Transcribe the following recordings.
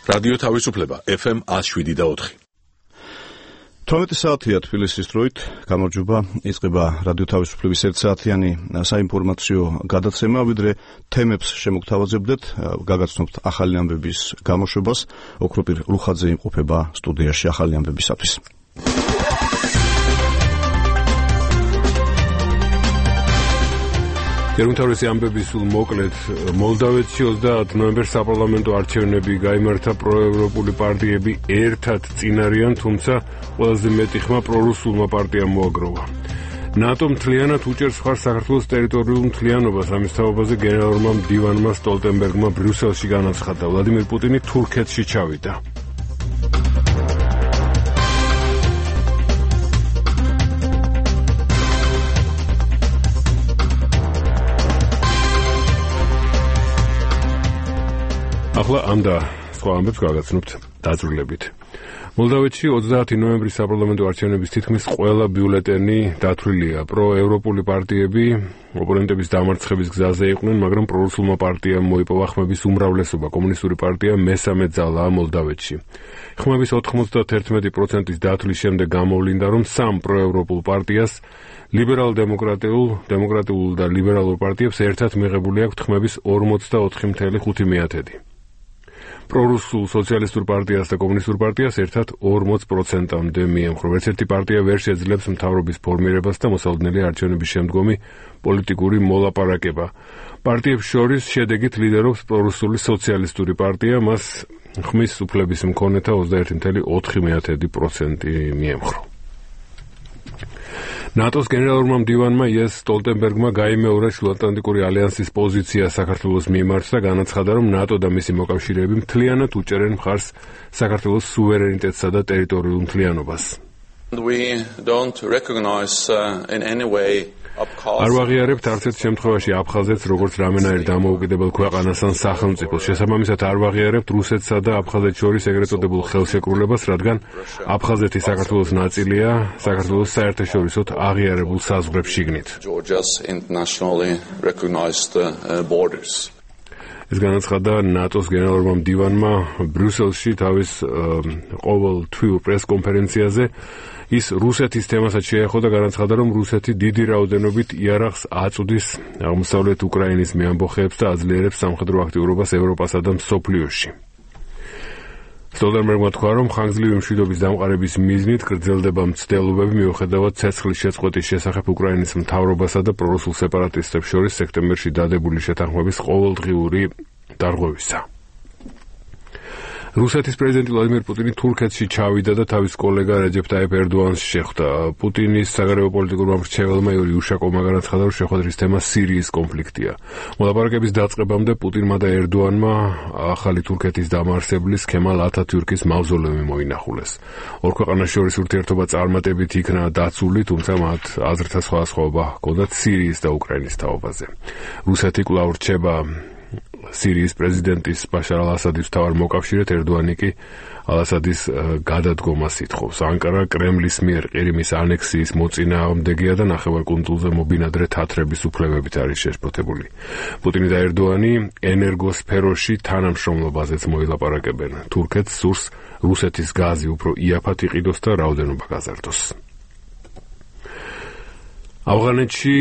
რადიო თავისუფლება FM 107.4. 12 საათია თბილისის დროით, გამარჯობა, იწყება რადიო თავისუფლების 1 საათიანი საინფორმაციო გადაცემა, ვიდრე თემებს შემოგთავაზებდეთ, გაგაცნობთ ახალი ამბების გამოშვებას, ოქროპირ ლუხაძე იმყოფება სტუდიაში ახალი ამბებისათვის. ეროვნული ამბების სულ მოკლედ, მოლდავეთში 30 ნოემბერს საპარლამენტო არჩევნები გაიმართა, პროევროპული პარტიები ერთად წინ არიან, თუმცა ყველაზე მეტი ხმა პრორუსულმა პარტიამ მოაგროვა. ნატო მთლიანად უჭერს მხარს საქართველოს ტერიტორიულ მთლიანობას, ამის თაობაზე გენერალურმა მდივანმა სტოლტენბერგმა ბრიუსელში განაცხადა. ვლადიმერ პუტინი თურქეთში ჩავიდა. ახლა ამ და სხვა ამბებს გავაგრძნობთ დაწვრილებით. მოლდავეთში 30 ნოემბრის საპარლამენტო არჩევნების თითქმის ყველა ბიულეტენი დათვლილია. პროევროპული პარტიები ოპონენტების დამარცხების გზაზე იყვნენ, მაგრამ პრორუსულმა პარტიამ მოიპოვა ხმების უმრავლესობა. კომუნისტური პარტია მესამე ძალაა მოლდავეთში. ხმების 91%-ის დათვლის შემდეგ გამოვლინდა, რომ სამ პროევროპულ პარტიას ლიბერალ-დემოკრატიულ და ლიბერალურ პარტიებს ერთად მიღებული აქვთ ხმების 44.5%. პრორუსულ სოციალისტურ პარტიას და კომუნისტურ პარტიას ერთად 40%-მდე მიემხრა. ერთ-ერთი პარტია ვერ შეძლებს მთავრობის ფორმირებას და მოსალოდნელია არჩევნების შემდგომი პოლიტიკური მოლაპარაკება. პარტიებს შორის შედეგით ლიდერობს პრორუსული სოციალისტური პარტია, მას ხმის უფლების მქონეთა 21.4% მიემხრა. ნატოს გენერალურმა მდივანმა იენს სტოლტენბერგმა გაიმეორა შუაატლანტიკური ალიანსის პოზიცია საქართველოს მიმართ და განაცხადა, რომ ნატო და მისი მოკავშირეები მთლიანად უჭერენ მხარს საქართველოს სუვერენიტეტსა და ტერიტორიულ მთლიანობას. We don't recognize in any way არ ვაღიარებთ არც ერთ შემთხვევაში აფხაზეთს როგორც რამენაირ დამოუკიდებელ ქვეყანას ან სახელმწიფოს. შესაბამისად არ ვაღიარებთ რუსეთსა და აფხაზეთს შორის ეგრეთ წოდებულ ხელშეკრულებას, რადგან აფხაზეთი საქართველოს ნაწილია, საქართველოს საერთაშორისოდ აღიარებულ საზღვრებს შიგნით. ეს განაცხადა ნატოს გენერალურმა მდივანმა ბრიუსელში თავის ყოველთვიურ პრესკონფერენციაზე. ის რუსეთის თემასაც შეეხო და განაცხადა, რომ რუსეთი დიდი რაოდენობით იარაღს აწვდის აღმოსავლეთ უკრაინის მეამბოხეებს და აძლიერებს სამხედრო აქტიურობას ევროპასა და მსოფლიოში. სტოლტენბერგმა თქვა, რომ ხანგრძლივი მშვიდობის დამყარების მიზნით გრძელდება მცდელობები მიუხედავად ცეცხლის შეწყვეტის შესახებ უკრაინის მთავრობასა და პრორუსულ სეპარატისტებს შორის სექტემბერში დადებული შეთანხმების ყოველდღიური დარღვევისა. რუსეთის პრეზიდენტი ვლადიმერ პუტინი თურქეთში ჩავიდა და თავის კოლეგა რეჯეფ ტაიპ ერდოანს შეხვდა. პუტინის საგარეო პოლიტიკურმა მრჩეველმა იური უშაკოვმა განაცხადა, რომ შეხვედრის თემა სირიის კონფლიქტია. მოლაპარაკების დაწყებამდე პუტინმა და ერდოანმა ახალი თურქეთის დამაარსებლის ქემალ ათათიურქის მავზოლეუმი მოინახულეს. ორ ქვეყანას შორის ურთიერთობა წარმატებით იქნა დაცული, თუმცა მათ აზრთა სხვადასხვაობა ჰქონდათ სირიის და უკრაინის თაობაზე. რუსეთი კვლავ რჩება სირიის პრეზიდენტის ბაშარ ალ-ასადის მთავარ მოკავშირედ, ერდოანი კი ალ-ასადის გადადგომას ითხოვს. ანკარა კრემლის მიერ ყირიმის ანექსიის მოწინააღმდეგეა და ნახევარკუნძულზე მობინადრე თათრების უფლებებით არის შეშფოთებული. პუტინი და ერდოანი ენერგოსფეროში თანამშრომლობაზეც მოილაპარაკებენ. თურქეთს სურს რუსეთის გაზი უფრო იაფად იყიდოს და რაოდენობა გაზარდოს. ავღანეთში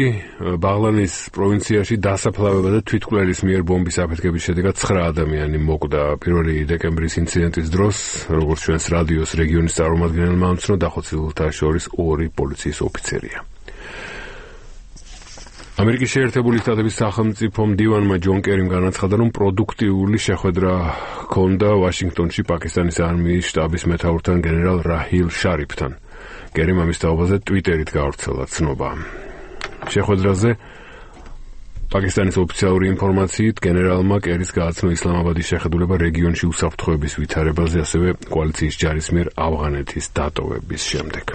ბაღლანის პროვინციაში დასაფლავება და თვითმკვლელის მიერ ბომბის აფეთქების შედეგად 9 ადამიანი მოკვდა. 1 დეკემბრის ინციდენტის დროს, როგორც ჩვენს რადიოს რეგიონის წარმომადგენელმა ამცნო, დახოცილთა შორის 2 პოლიციის ოფიცერია. ამერიკის შეერთებული შტატების სახელმწიფო მდივანმა ჯონ კერიმ განაცხადა, რომ პროდუქტიული შეხვედრა ჰქონდა ვაშინგტონში პაკისტანის არმიის შტაბის მეთაურთან გენერალ რაჰილ შარიფთან. კერიმ ამის თაობაზე ტვიტერით გავრცელა ცნობა. შეხვედრაზე პაკისტანის ოფიციალური ინფორმაციით გენერალმა კერის გააცნო ისლამაბადის შეხედულება რეგიონში უსაფრთხოების ვითარებაზე, ასევე კოალიციის ჯარის მიერ ავღანეთის დატოვების შემდეგ.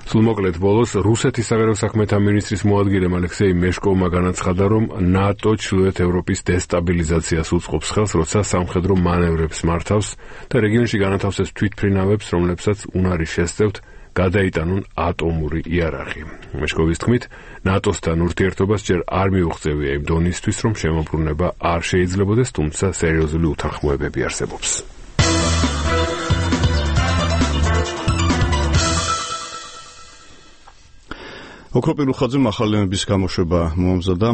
სულ მოკლედ ბოლოს რუსეთის საგარეო საქმეთა მინისტრის მოადგილემ ალექსეი მეშკოვმა განაცხადა, რომ ნატო ჩრდილოეთ ევროპის დესტაბილიზაციას უწყობს ხელს, როცა სამხედრო მანევრებს მართავს და რეგიონში განათავსებს თვითმფრინავებს, რომლებსაც უნარი შესწევთ გადაიტანონ ატომური იარაღი. მეშკოვის თქმით, ნატოსთან ურთიერთობას ჯერ არ მიუღწევია იმ დონისთვის, რომ შემოbrunება არ შეიძლებოდეს, თუმცა სერიოზული უთანხმოებები არსებობს. ოქრო პირუხაძემ ახალი ემების გამოშვება მოამზადა,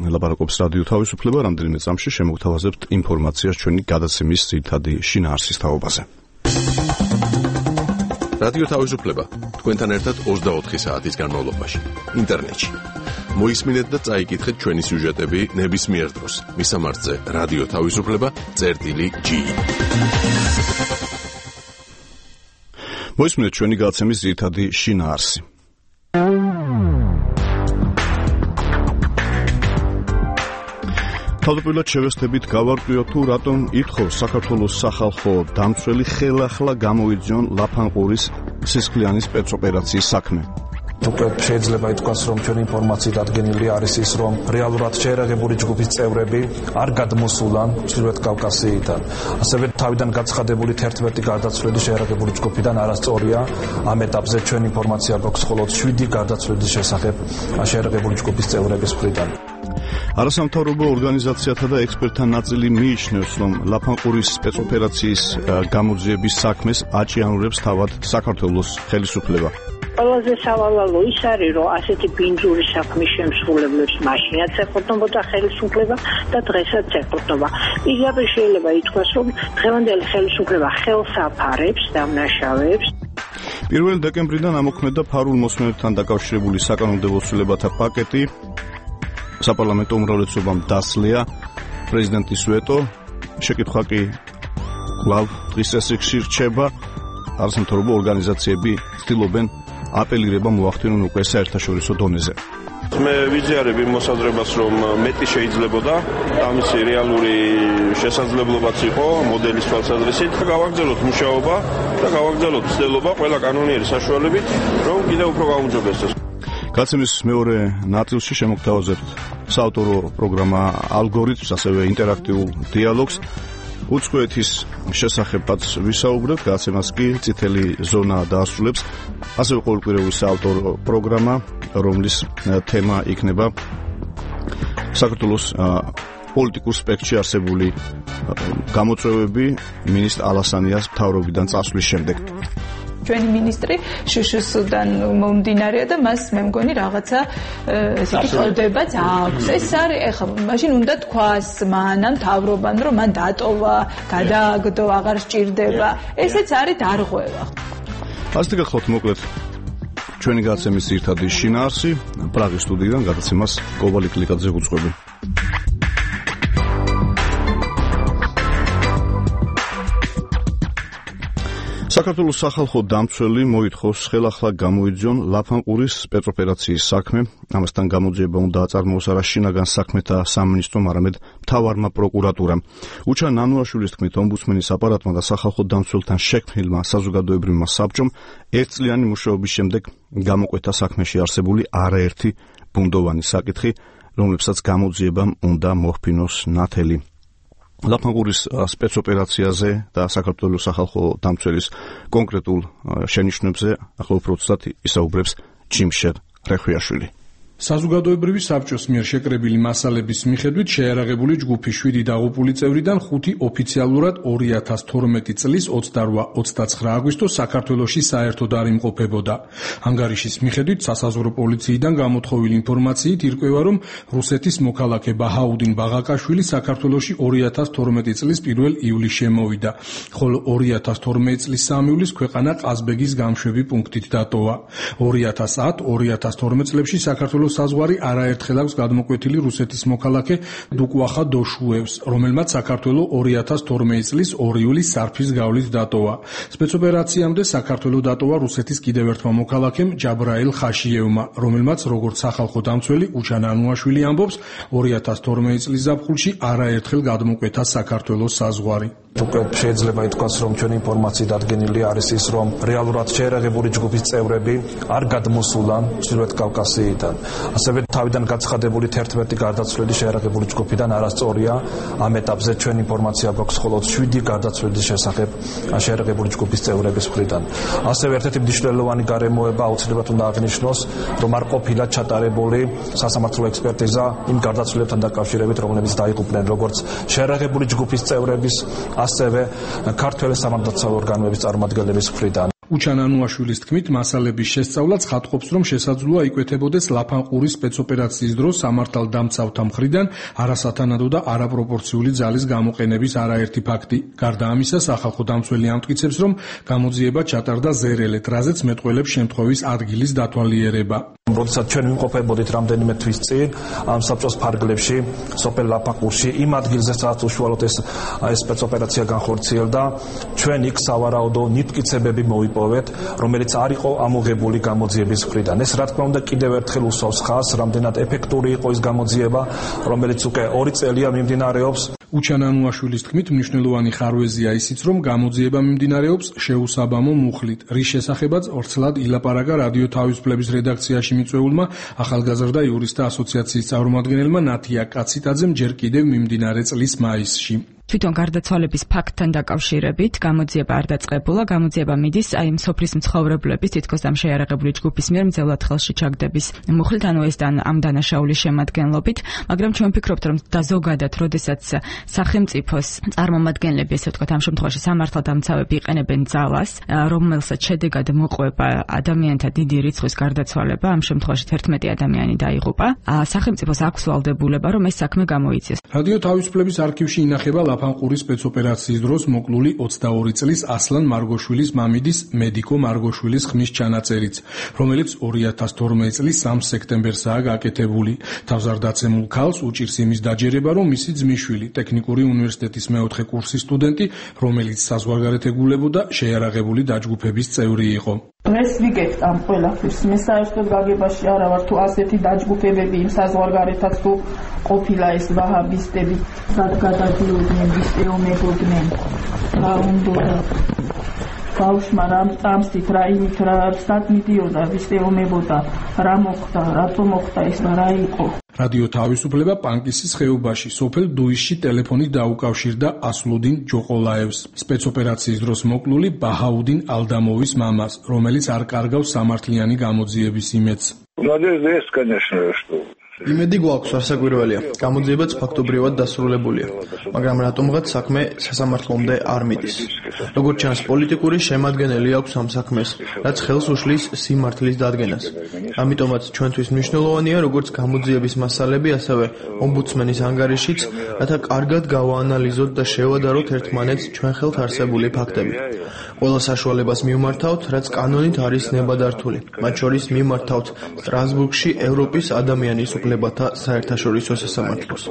ლაპარაკობს რადიო თავისუფლება, რამდენიმე წამში შემოგთავაზებთ ინფორმაციას ჩვენი გადაცემის ძირითადი შინაარსის თაობაზე. რადიო თავისუფლება თქვენთან ერთად 24 საათის განმავლობაში ინტერნეტში. მოისმინეთ და წაიკითხეთ ჩვენი სიუჟეტები ნებისმიერ დროს. მისამართზე რადიო თავისუფლება.gi. მოისმინეთ ჩვენი გადაცემის ძირითადი შინაარსი. თავდაპირველად შევესწრებით გავარკვიოთ თუ რატომ ითხოვს საქართველოს სახალხო დამცველი ხელახლა გამოიძიონ ლაფანყურის სისხლიანი სპეცოპერაციის საქმე. უკვე შეიძლება ითქვას, რომ ჩვენი ინფორმაციით დადგენილი არის ის, რომ რეალურად შეერაგებული ჯგუფის წევრები არ გადმოსულან ჩრდილოეთ კავკასიიდან. ასევე თავიდან გაცხადებული 11 გარდაცვლილი შეერაგებული ჯგუფიდან არასწორია. ამ ეტაპზე ჩვენი ინფორმაცია გვაქვს მხოლოდ 7 გარდაცვლილის შესახებ შეერაგებული ჯგუფის წევრების მხრიდან. არასამთავრობო ორგანიზაციათა და ექსპერტთა ნაწილი მიიჩნევს, რომ ლაფანყურის სპეცოპერაციის გამოძიების საქმეს აჭიანურებს თავად საქართველოს ხელისუფლება. ყველაზე სავალალო ის არის, რომ ასეთი ბინძური საქმის შემსრულებლებს მაშინაც ეყრდნობოდა ხელისუფლება და დღესაც ეყრდნობა. პირდაპირ შეიძლება ითქვას, რომ დღევანდელი ხელისუფლება ხელს აფარებს და მნაშავეებს. 1 დეკემბრიდან ამოქმედა ფარულ მოსმენებთან დაკავშირებული საკანონმდებლო ცვლილებათა პაკეტი. საპარლამენტო უმრავლესობამ დასლია პრეზიდენტის ვეტო. შეკითხვა კი კვლავ დღის წესრიგში რჩება. არასამთავრობო ორგანიზაციები ცდილობენ აპელირება მოახდინონ უკვე საერთაშორისო დონეზე. მე ვიზიარებ იმ მოსაზრებას, რომ მეტი შეიძლებოდა, ამისი რეალური შესაძლებლობაც იყო მოდელის თვალსაზრისით. გავაგრძელოთ მუშაობა და გავაგრძელოთ ცდელობა ყველა კანონიერი საშუალებით, რომ კიდევ უფრო გაუმჯობესდეს. გადაცემის მეორე ნაწილში შემოგთავაზებთ საავტორო პროგრამა ალგორითმს, ასევე ინტერაქტიულ დიალოგს. უცხოეთის შესახებაც ვისაუბრებთ, გადაცემას კი წითელი ზონა დაასრულებს. ასევე ყოველკვირეული საავტორო პროგრამა, რომლის თემა იქნება საქართველოს პოლიტიკურ სპექტრში არსებული გამოწვევები მინისტრ ალასანიას მთავრობიდან წასვლის შემდეგ. ჩვენი მინისტრი შუშუსუდან მომდინარეა და მას მე მგონი რაღაცა ესე იგი წოდებაც აქვს. ეს არის ეხლა მაშინ უნდა თქვას მანამ თავრობამ, რომ მან დატოვა, გადააგდო, აღარ სჭირდება. ესეც არის დარღვევა. ასეთი გახლავთ მოკლედ ჩვენი გადაცემის ძირითადი შინაარსი. პრაღის სტუდიიდან გადაცემას კობალი კლიკაძე უძღვები. საქართველოს სახალხო დამცველი მოითხოვს ხელახლა გამოიძიონ ლაფანყურის სპეცოპერაციის საქმე. ამასთან გამოძიება უნდა აწარმოოს არა შინაგან საქმეთა სამინისტრომ, არამედ მთავარმა პროკურატურამ. უჩა ნანუაშვილის თქმით, ომბუდსმენის აპარატმა და სახალხო დამცველთან შექმნილმა საზოგადოებრივმა საბჭომ ერთწლიანი მუშაობის შემდეგ გამოკვეთა საქმეში არსებული არაერთი ბუნდოვანი საკითხი, რომლებსაც გამოძიებამ უნდა მოჰფინოს ნათელი. ლაფანყურის სპეცოპერაციაზე და საქართველოს სახალხო დამცველის კონკრეტულ შენიშვნებზე ახლა უფრო ცუდად ისაუბრებს ჯიმშერ რეხვიაშვილი. საზოგადოებრივი საბჭოს მიერ შეკრებილი მასალების მიხედვით შეერაღებული ჯგუფი 7 დაღუპული წევრიდან 5 ოფიციალურად 2012 წლის 28-29 აგვისტოს საქართველოში საერთოდ არ იმყოფებოდა. ანგარიშის მიხედვით სასაზღვრო პოლიციიდან გამოთხოვილი ინფორმაციით ირკვევა, რომ რუსეთის მოქალაქე ბაჰაუდინ ბაღაკაშვილი საქართველოში 2012 წლის 1 ივლისში შემოვიდა, ხოლო 2012 წლის 3 ივლისს ქვეყანა ყაზბეგის გამშვები პუნქტით დატოვა. 2010-2012 წლებში საქართველოს საზღვარი არაერთხელ აქვს გადმოკვეთილი რუსეთის მოქალაქე დუკუახა დოშუევს, რომელმაც საქართველოს 2012 წლის 2 ივლისს სარფის გავლით დატოვა. სპეცოპერაციამდე საქართველოს დატოვა რუსეთის კიდევ ერთმა მოქალაქემ ჯაბრაილ ხაშიევმა, რომელმაც როგორც სახალხო დამცველი უჩა ნანუაშვილი ამბობს, 2012 წლის ზაფხულში არაერთხელ გადმოკვეთა საქართველოს საზღვარი. უკვე შეიძლება ითქვას, რომ ჩვენი ინფორმაციით დადგენილი არის ის, რომ რეალურად შეერაგებული ჯგუფის წევრები არ გადმოსულან ჩრდილოეთ კავკასიიდან. ასევე თავიდან გაცხადებული 11 გარდაცვლილი შეერაგებული ჯგუფიდან არასწორია. ამ ეტაპზე ჩვენი ინფორმაცია გვაქვს მხოლოდ 7 გარდაცვლილის შესახებ შეერაგებული ჯგუფის წევრების მხრიდან. ასევე ერთ-ერთი მნიშვნელოვანი გარემოება აუცილებლად უნდა აღნიშნოს, რომ არ ყოფილა ჩატარებული სასამართლო ექსპერტიზა იმ გარდაცვლილებთან დაკავშირებით, რომლებიც დაიღუპნენ როგორც შეერაგებული ჯგუფის წევრების, ასევე ქართველი სამართალდაცავი ორგანოების წარმომადგენლების მხრიდან. უჩანანუაშვილის თქმით, მასალების შესწავლაც ხატყოფს, რომ შესაძლოა იკვეთებოდეს ლაფანყურის სპეცოპერაციის დროს სამართალდამცავთა მხრიდან არასათანადო და არაპროპორციული ძალის გამოყენების არაერთი ფაქტი. გარდა ამისა, სახალხო დამცველი ამტკიცებს, რომ გამოძიება ჩატარდა ზერელეთ, რაზეც მეტყველებს შემთხვევის ადგილის დათვალიერება. როდესაც ჩვენ ვიმყოფებოდით რამდენიმე თვის წინ ამ საბჭოს ფარგლებში, სოფელ ლაფანყურში, იმ ადგილზე, სადაც უშუალოდ ეს სპეცოპერაცია განხორციელდა, ჩვენ იქ სავარაუდო ნიფტკიცებები მოვიპოვეთ, რომელიც არ იყო ამოღებული გამოძიების მხრიდან. ეს რა თქმა უნდა კიდევ ერთხელ უსვავს ხაზს, რამდენად ეფექტური იყო ის გამოძიება, რომელიც უკვე 2 წელია მიმდინარეობს. უჩანანუაშვილის თქმით, მნიშვნელოვანი ხარვეზია ისიც, რომ გამოძიება მიმდინარეობს შეუსაბამო მუხლით, რის შესახებაც ორცლად ილაპარაკა რადიო თავისუფლების რედაქციაში მიწვეულმა ახალგაზრდა იურისტთა ასოციაციის წარმომადგენელმა ნათია კაციტაძემ ჯერ კიდევ მიმდინარე წლის მაისში. თვითონ გარდაცვალების ფაქტთან დაკავშირებით გამოძიება არ დაწყებულა, გამოძიება მიდის აი მსოფლის მცხოვრებლების თითქოს ამ შეიარაღებული ჯგუფის მიერ მძევლად ხელში ჩაგდების მუხლით, ანუ ეს ამ დანაშაულის შემადგენლობით, მაგრამ ჩვენ ვფიქრობთ, რომ და ზოგადად, როდესაც სახელმწიფოს წარმომადგენლები, ესე ვთქვათ, ამ შემთხვევაში სამართალდამცავები იყენებენ ძალას, რომელსაც შედეგად მოყვება ადამიანთა დიდი რიცხვის გარდაცვალება, ამ შემთხვევაში 11 ადამიანი დაიღუპა, სახელმწიფოს აქვს ვალდებულება, რომ ეს საქმე გამოიწიოს. რადიო თავისუფლების არქივში ინახება ლაფანყურის სპეცოპერაციის დროს მოკლული 22 წლის ასლან მარგოშვილის მამიდის მედიკო მარგოშვილის ხმის ჩანაწერიც, რომელიც 2012 წლის 3 სექტემბერსაა გაკეთებული. თავზარდაცემულ ქალს უჭირს იმის დაჯერება, რომ მისი ძმისშვილი, ტექნიკური უნივერსიტეტის მეოთხე კურსის სტუდენტი, რომელიც საზღვარგარეთ ეგულებოდა, შეიარაღებული დაჯგუფების წევრი იყო. Mēs ვიგებთ ამ ყველაფერს. მე საერთოდ გაგებაში არა ვარ თუ ასეთი დაჯგუფებები იმ საზღვარგარეთაც თუ ყოფილა ეს ვაჰაბისტები, სად გადადიოდნენ, ვისეომებოდნენ. რა უნდა ბავშვმა რა წამსით, რა იმით, რა სად მიდიოდა, ვისეომებოდა, რა მოხდა, რატო მოხდა ეს და რა იყო. რადიო თავისუფლება პანკისის ხეობაში, სოფელ დუისში ტელეფონით დაუკავშირდა ასლუდინ ჯოყოლაევს, სპეცოპერაციის დროს მოკლული ბაჰაუდინ ალდამოვის მამას, რომელიც არ კარგავს სამართლიანი გამოძიების იმედს. იმედი გვაქვს, არასაკვირველია. გამოძიებაც ფაქტობრივად დასრულებულია, მაგრამ რატომღაც საქმე სასამართლომდე არ მიდის. როგორც ჩანს, პოლიტიკური შემადგენელი აქვს ამ საქმეს, რაც ხელს უშლის სიმართლის დადგენას. ამიტომაც ჩვენთვის მნიშვნელოვანია, როგორც გამოძიების მასალები, ასევე ომბუდსმენის ანგარიშიც, რათა კარგად გავაანალიზოთ და შევადაროთ ერთმანეთს ჩვენ ხელთ არსებული ფაქტები. ყველა საშუალებას მივმართავთ, რაც კანონით არის ნებადართული. მათ შორის მივმართავთ სტრასბურგში ევროპის ადამიანის უფლებათა საერთაშორისო სასამართლოს.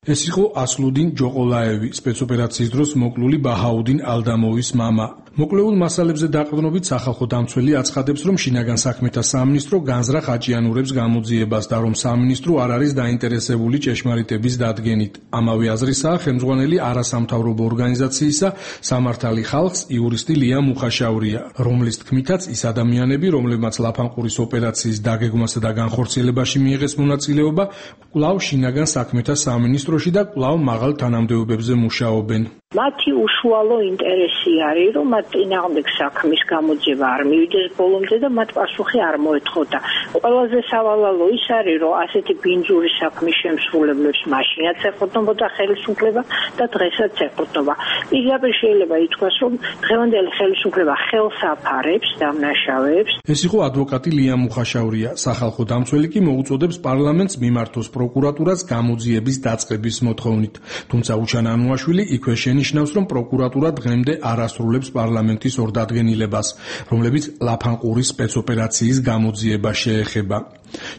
ეს იყო ასლუდინ ჯოყოლაევი, სპეცოპერაციის დროს მოკლული ბაჰაუდინ ალდამოვის მამა. მოკლეულ მასალებზე დაყრდნობით სახალხო დამცველი აცხადებს, რომ შინაგან საქმეთა სამინისტრო განზრახ აჭიანურებს გამოძიებას და რომ სამინისტრო არ არის დაინტერესებული ჭეშმარიტების დადგენით. ამავე აზრისაა ხელმძღვანელი არასამთავრობო ორგანიზაციისა სამართალი ხალხს იურისტი ლია მუხაშავრია, რომლის თქმითაც ის ადამიანები, რომლებმაც ლაფანყურის ოპერაციის დაგეგმვასა და განხორციელებაში მიიღეს მონაწილეობა, კვლავ შინაგან საქმეთა სამინისტროში და კვლავ მაღალ თანამდებობებზე მუშაობენ. მათი უშუალო ინტერესი არის, რომ მათ წინააღმდეგ საქმის გამოძიება არ მივიდეს ბოლომდე და მათ პასუხი არ მოეთხოდა. ყველაზე სავალალო ის არის, რომ ასეთი ბინძური საქმის შემსრულებლებს მაშინაც ეყრდნობოდა ხელისუფლება და დღესაც ეყრდნობა. პირდაპირ შეიძლება ითქვას, რომ დღევანდელი ხელისუფლება ხელს აფარებს დამნაშავეებს. ეს იყო ადვოკატი ლია მუხაშავრია. სახალხო დამცველი კი მოუწოდებს პარლამენტს მიმართოს პროკურატურას გამოძიების დაწყების მოთხოვნით. თუმცა უჩანანუაშვილი იქვე ნიშნავს, რომ პროკურატურა დღემდე არ ასრულებს პარლამენტის ორდადგენილებას, რომლებიც ლაფანყურის სპეცოპერაციის გამოძიება შეეხება.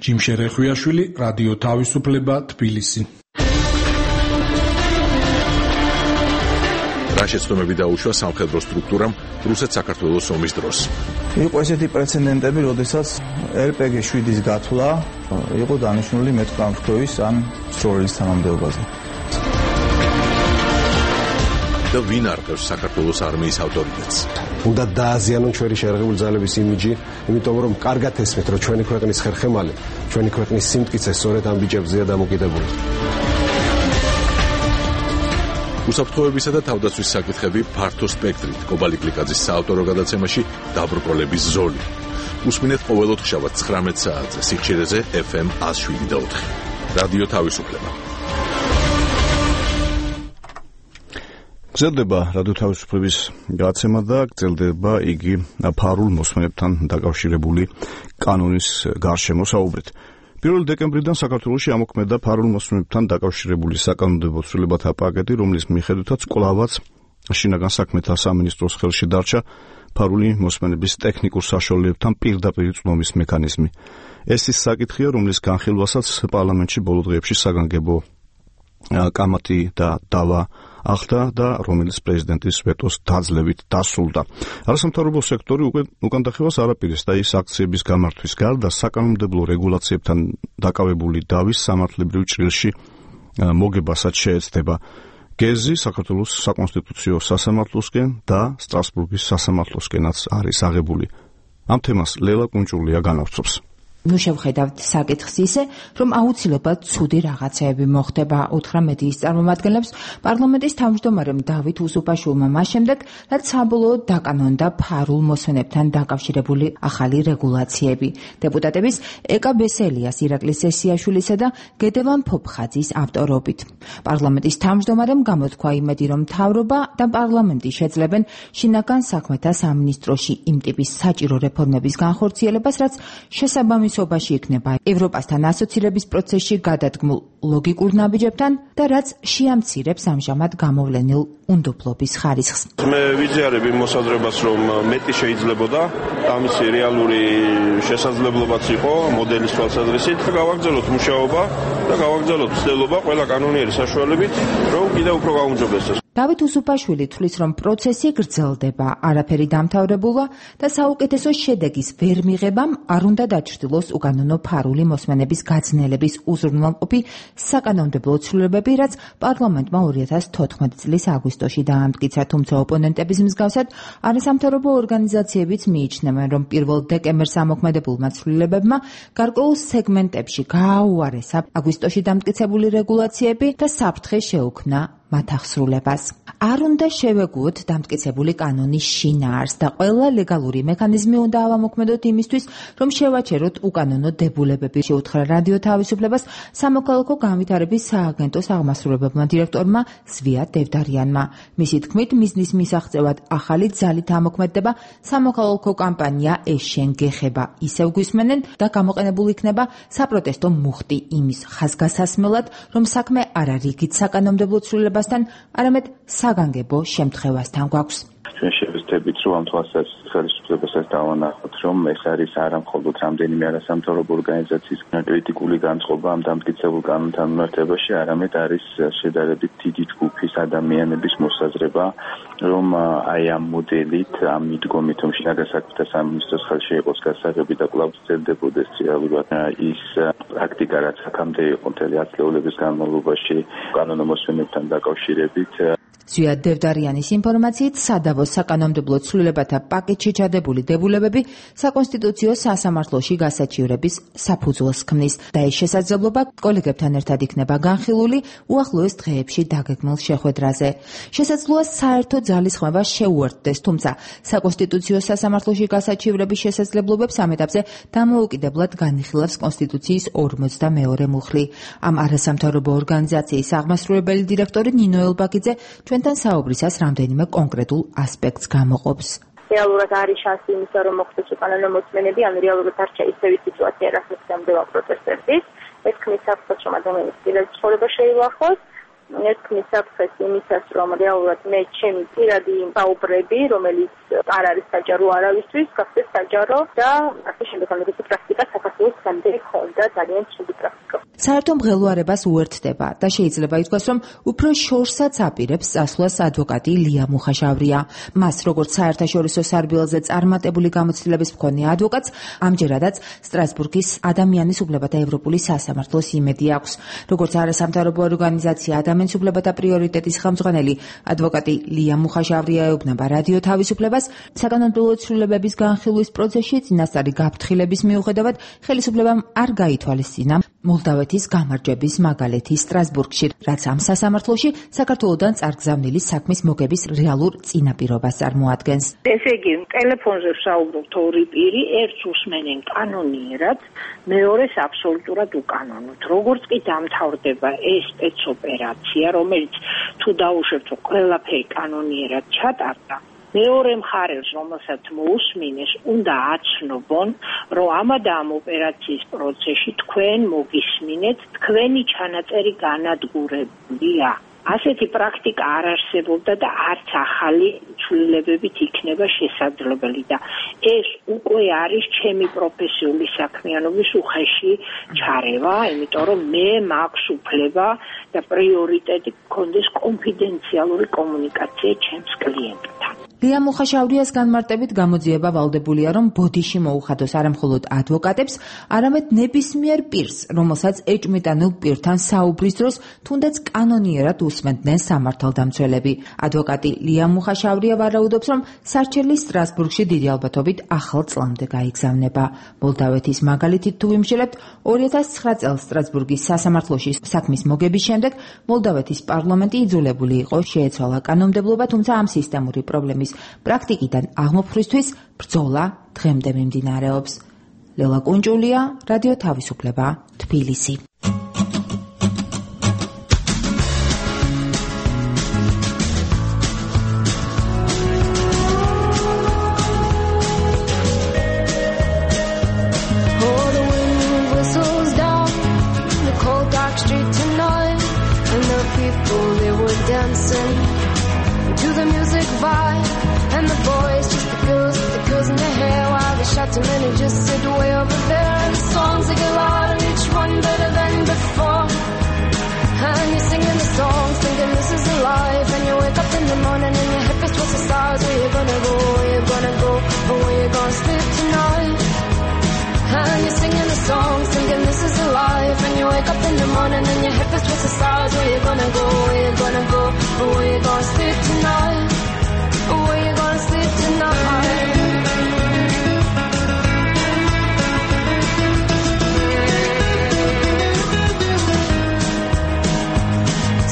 ჯიმშე რეხვიაშვილი, რადიო თავისუფლება, თბილისი. რა შეცდომები დაუშვა სამხედრო სტრუქტურამ რუსეთ-საქართველოს ომის დროს? იყო ესეთი პრეცედენტები, როდესაც RPG-7-ის გათვლა იყო დანიშნული მეტყამრთქვის ან სროლის თანამდებობაზე. და ვინ არყევს საქართველოს არმიის ავტორიტეტს? უნდა დააზიანონ ჩვენი შეიარაღებული ძალების იმიჯი, იმიტომ რომ კარგად ესმით, რომ ჩვენი ქვეყნის ხერხემალი, ჩვენი ქვეყნის სიმტკიცე სწორედ ამ ბიჭებზეა დამოკიდებული. უსაფრთხოებისა და თავდაცვის საკითხები ფართო სპექტრით. კობალი გლიკაძის საავტორო გადაცემაში დაბრკოლების ზოლი. უსმინეთ ყოველ ოთხშაბათს 19 საათზე სიხშირეზე FM 107.4. რადიო თავისუფლება. გრძელდება რადიო თავისუფლების გადაცემა და გრძელდება იგი ფარულ მოსმენებთან დაკავშირებული კანონის გარშემო საუბრით. 1 დეკემბრიდან საქართველოში ამოქმედა ფარულ მოსმენებთან დაკავშირებული საკანონმდებლო ცვლილებათა პაკეტი, რომლის მიხედვითაც კვლავაც შინაგან საქმეთა სამინისტროს ხელში დარჩა ფარული მოსმენების ტექნიკურ საშუალებებთან პირდაპირ წვდომის მექანიზმი. ეს ის საკითხია, რომლის განხილვასაც პარლამენტში ბოლო დღეებში საგანგებო კამათი და დავა ახდა და რომელიც პრეზიდენტის ვეტოს დაძლევით დასრულდა. არასამთავრობო სექტორი უკან დახევას არაპირეს და ის აქციების გამართვის გარდა საკანონმდებლო რეგულაციებთან დაკავებული დავის სამართლებრივ ჭრილში მოგებასაც შეეცდება. გეზი საქართველოს საკონსტიტუციო სასამართლოსკენ და სტრასბურგის სასამართლოსკენაც არის აღებული. ამ თემას ლელა კუნჭულია განავრცობს. ნუ შევხედავთ საკითხს ისე, რომ აუცილებლად ცუდი რაღაცეები მოხდება, უთხრა მედიის წარმომადგენლებს პარლამენტის თავმჯდომარემ დავით უსუპაშვილმა მას შემდეგ, რაც საბოლოოდ დაკანონდა ფარულ მოსმენებთან დაკავშირებული ახალი რეგულაციები. დეპუტატების ეკა ბესელიას, ირაკლის სესიაშვილისა და გედევან ფოფხაძის ავტორობით. პარლამენტის თავმჯდომარემ გამოთქვა იმედი, რომ მთავრობა და პარლამენტი შეძლებენ შინაგან საქმეთა სამინისტროში იმ ტიპის საჭირო რეფორმების განხორციელებას, რაც შესაბამისობაში იქნება ევროპასთან ასოცირების პროცესში გადადგმულ ლოგიკურ ნაბიჯებთან და რაც შეამცირებს ამჟამად გამოვლენილ უნდობლობის ხარისხს. მე ვიზიარებ იმ მოსაზრებას, რომ მეტი შეიძლებოდა ამისი რეალური შესაძლებლობაც იყო მოდელის თვალსაზრისით და გავაგრძელოთ მუშაობა და გავაგრძელოთ ცდელობა ყველა კანონიერი საშუალებით, რომ კიდევ უფრო გაუმჯობესდეს. დავით უსუპაშვილი თვლის, რომ პროცესი გრძელდება, არაფერი დამთავრებულა და საუკეთესო შედეგის ვერ მიღებამ არ უნდა დაჩრდილოს უკანონო ფარული მოსმენების გაძნელების უზრუნველყოფი საკანონმდებლო ცვლილებები, რაც პარლამენტმა 2014 წლის აგვისტოში დაამტკიცა, თუმცა ოპონენტების მსგავსად არასამთავრობო ორგანიზაციებიც მიიჩნევენ, რომ 1 დეკემბერს ამოქმედებულმა ცვლილებებმა გარკვეულ სეგმენტებში გააუარესა აგვისტოში დამტკიცებული რეგულაციები და საფრთხე შეუქმნა მათ აღსრულებას. არ უნდა შევეგუოთ დამტკიცებული კანონის შინაარსს და ყველა ლეგალური მექანიზმი უნდა ავამოქმედოთ იმისთვის, რომ შევაჩეროთ უკანონო დებულებები, შეუთხრა რადიო თავისუფლებას სამოქალაქო განვითარების სააგენტოს აღმასრულებელმა დირექტორმა ზვია დევდარიანმა. მისი თქმით, მიზნის მისაღწევად ახალი ძალით ამოქმედდება სამოქალაქო კამპანია ეს შენ გეხება. ისევ გვისმენენ და გამოყენებულ იქნება საპროტესტო მუხტი იმის ხაზგასასმელად, რომ საქმე არა რიგით საკანონმდებლო ცვლილებასთან, არამედ საგანგებო შემთხვევასთან გვაქვს. ჩვენ შევეცდებით, რომ ამ თვალსაზრისით ხელისუფლებასაც დავანახოთ, რომ ეს არის არა მხოლოდ რამდენიმე არასამთავრობო ორგანიზაციის კრიტიკული განწყობა ამ დამტკიცებულ კანონთან მიმართებაში, არამედ არის შედარებით დიდი ჯგუფის ადამიანების მოსაზრება, რომ აი ამ მოდელით, ამ მიდგომით, რომ შინაგან საქმეთა სამინისტროს ხელში იყოს გასაღები და კვლავ გრძელდებოდეს რეალურად ის პრაქტიკა, რაც აქამდე იყო მთელი ათწლეულების განმავლობაში კანონო მოსმენებთან დაკავშირებით. ზვია დევდარიანის ინფორმაციით, სადავოს საკანონმდებლო ცვლილებათა პაკეტში ჩადებული დებულებები საკონსტიტუციო სასამართლოში გასაჩივრების საფუძველს ქმნის და ეს შესაძლებლობა კოლეგებთან ერთად იქნება განხილული უახლოეს დღეებში დაგეგმილ შეხვედრაზე. შესაძლოა საერთო ძალისხმევა შეუერთდეს, თუმცა საკონსტიტუციო სასამართლოში გასაჩივრების შესაძლებლობებს ამ ეტაპზე დამოუკიდებლად განიხილავს კონსტიტუციის 42 მუხლი. ამ არასამთავრობო ორგანიზაციის აღმასრულებელი დირექტორი ნინო ელბაგიძე ჩვენთან საუბრისას რამდენიმე კონკრეტულ ასპექტს გამოყოფს. რეალურად არის შანსი იმისა, რომ მოხდეს უკანონო მოსმენები, ან რეალურად არ ჩაისწევი სიტუაცია, რასაც გამდევა პროტესტებიც. ეს ქმნის საფრთხეს, რომ ადამიანის პირადი ცხოვრება შეილახოს. ეს ქმნის საფრთხეს იმისას, რომ რეალურად მე ჩემი პირადი საუბრები, რომელიც არ არის საჯარო არავისთვის, გახდეს საჯარო და ასე შემდეგ, როდესაც პრაქტიკა საქართველოს გამდე ხონდა ძალიან ცუდი პრაქტიკა. საერთო მღელვარებას უერთდება და შეიძლება ითქვას, რომ უფრო შორსაც აპირებს წასვლას ადვოკატი ლია მუხაშავრია. მას, როგორც საერთაშორისო სარბიელზე წარმატებული გამოცდილების მქონე ადვოკატს, ამჯერადაც სტრასბურგის ადამიანის უფლებათა ევროპული სასამართლოს იმედი აქვს. როგორც არასამთავრობო ორგანიზაცია ადამიანის უფლებათა პრიორიტეტის ხელმძღვანელი ადვოკატი ლია მუხაშავრია ეუბნება რადიო თავისუფლებას, საკანონმდებლო ცვლილებების განხილვის პროცესში წინასწარი გაფრთხილების მიუხედავად ხელისუფლებამ არ გაითვალისწინა მოლდავეთის გამარჯვების მაგალითი სტრასბურგში, რაც ამ სასამართლოში საქართველოსთან წარგზავნილი საქმის მოგების რეალურ წინაპირობას წარმოადგენს. ესე იგი, ტელეფონზე ვსაუბრობთ ორი პირი, ერთს უსმენენ კანონიერად, მეორეს აბსოლუტურად უკანონოდ. როგორც კი დამთავრდება ეს სპეცოპერაცია, რომელიც თუ დაუშვებთ, ყველაფერი კანონიერად ჩატარდა, მეორე მხარეს, რომელსაც მოусმინეს, უნდა აცნობონ, რომ ამა და ამ ოპერაციის პროცესში თქვენ მოგისმინეთ, თქვენი ჩანაწერი განადგურებულია. ასეთი პრაქტიკა არ არსებობდა და არც ახალი ცვლილებებით იქნება შესაძლებელი და ეს უკვე არის ჩემი პროფესიული საქმიანობის უხეში ჩარევა, იმიტომ რომ მე მაქვს უფლება და პრიორიტეტი გქონდეს კონფიდენციალური კომუნიკაცია ჩემს კლიენტთან. ლია მუხაშავრიას განმარტებით გამოძიება ვალდებულია, რომ ბოდიში მოუხადოს არამხოლოდ ადვოკატებს, არამედ ნებისმიერ პირს, რომელსაც ეჭვმიტანილ პირთან საუბრის დროს თუნდაც კანონიერად უსმენდნენ სამართალდამცველები. ადვოკატი ლია მუხაშავრია ვარაუდობს, რომ სარჩელი სტრასბურგში დიდი ალბათობით ახალ წლამდე გაიგზავნება. მოლდავეთის მაგალითით თუ ვიმშელებთ, 2009 წელს სტრასბურგის სასამართლოში საქმის მოგების შემდეგ მოლდავეთის პარლამენტი იძულებული იყო შეეცვალა კანონმდებლობა, თუმცა ამ სისტემური პრობლემის პრაქტიკიდან აღმოფხვისთვის ბრძოლა დღემდე მიმდინარეობს. ლელა კუნჭულია, რადიო თავისუფლება, თბილისი. Too many just sit way over there, and the songs they get louder, each one better than before. And you're singing the songs, thinking this is a life. And you wake up in the morning and your hip is towards the stars. Where you gonna go? Where you gonna go? Or where you gonna sleep tonight? And you're singing the songs, thinking this is a life. And you wake up in the morning and your hip is towards the stars. Where you gonna go? Where you gonna go? Or where you gonna sleep tonight? Or where you gonna sleep tonight?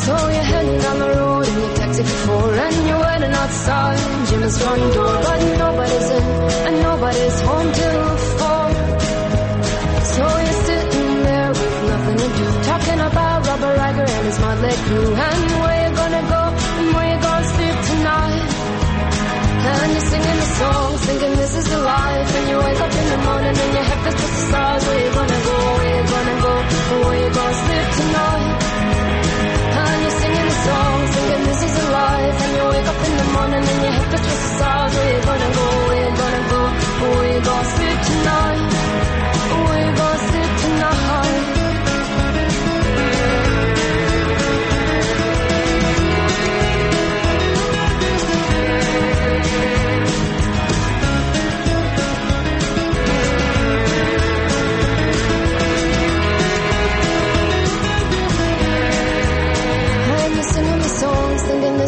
So you're heading down the road in your taxi for 4, and you're waiting outside Jim's front door, but nobody's in and nobody's home till 4. So you're sitting there with nothing to do, talking about Robert Riger and his motley crew, and where you gonna go and where you gonna sleep tonight. And you're singing the songs, thinking this is the life. And you wake up in the morning and your head feels just the stars. Where you gonna go? Where you gonna go? Or where you gonna sleep tonight? And you're singing the songs, thinking this is a life. And you wake up in the morning and your head feels just the stars. Where you gonna go? Where you gonna go? Or where you gonna sleep tonight? Or where you gonna sleep tonight?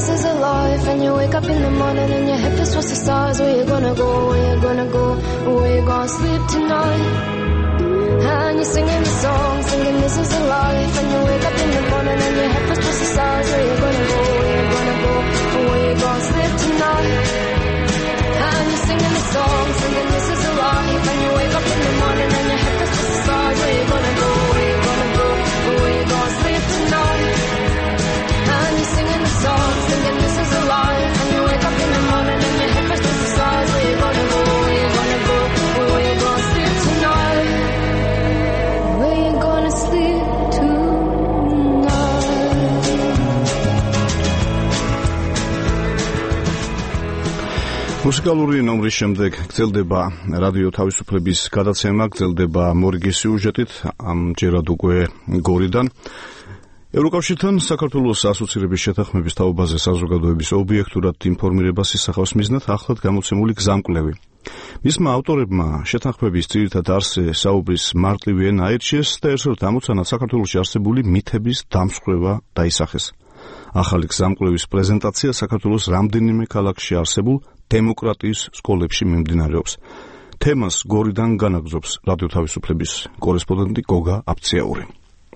This is a life, and you wake up in the morning and your head feels towards the stars. Where you gonna go? Where you gonna go? Where you gonna sleep tonight? And you're singing the song, singing this is a life. And you wake up in the morning and your head feels towards the stars. Where you gonna go? Where you gonna go? Where you gonna sleep tonight? And you're singing the song, singing this is a life. And you wake up in the morning and your head feels towards the stars. Where you gonna go? Where you gonna go? Where you gonna sleep tonight? And you're singing the song, thinking this is a life. And you wake up in the morning and your head feels towards the stars. Where you gonna go? Where you gonna go? Where you gonna sleep tonight? Where you gonna sleep tonight? მუსიკალური ნომრის შემდეგ გრძელდება რადიო თავისუფლების გადაცემა, გრძელდება მორიგის სიუჟეტით, ამჯერად უკვე გორიდან. ევროკავშირთან საქართველოს ასოცირების შეთანხმების თაობაზე საზოგადოების ობიექტურად ინფორმირებას ისახავს მიზნად ახლად გამოცემული გზამკვლევი. მისმა ავტორებმა შეთანხმების ძირითად არსზე საუბრის მარტივი ენა აირჩიეს და ერთად ამოცანად საქართველოში არსებული მითების დამსხვრევა დაისახეს. ახალი გზამკვლევის პრეზენტაცია საქართველოს რამდენიმე ქალაქში არსებულ დემოკრატიის სკოლებში მიმდინარეობს. თემას გორიდან განაგზობს რადიო თავისუფლების კორესპონდენტი გოგა აფციაური.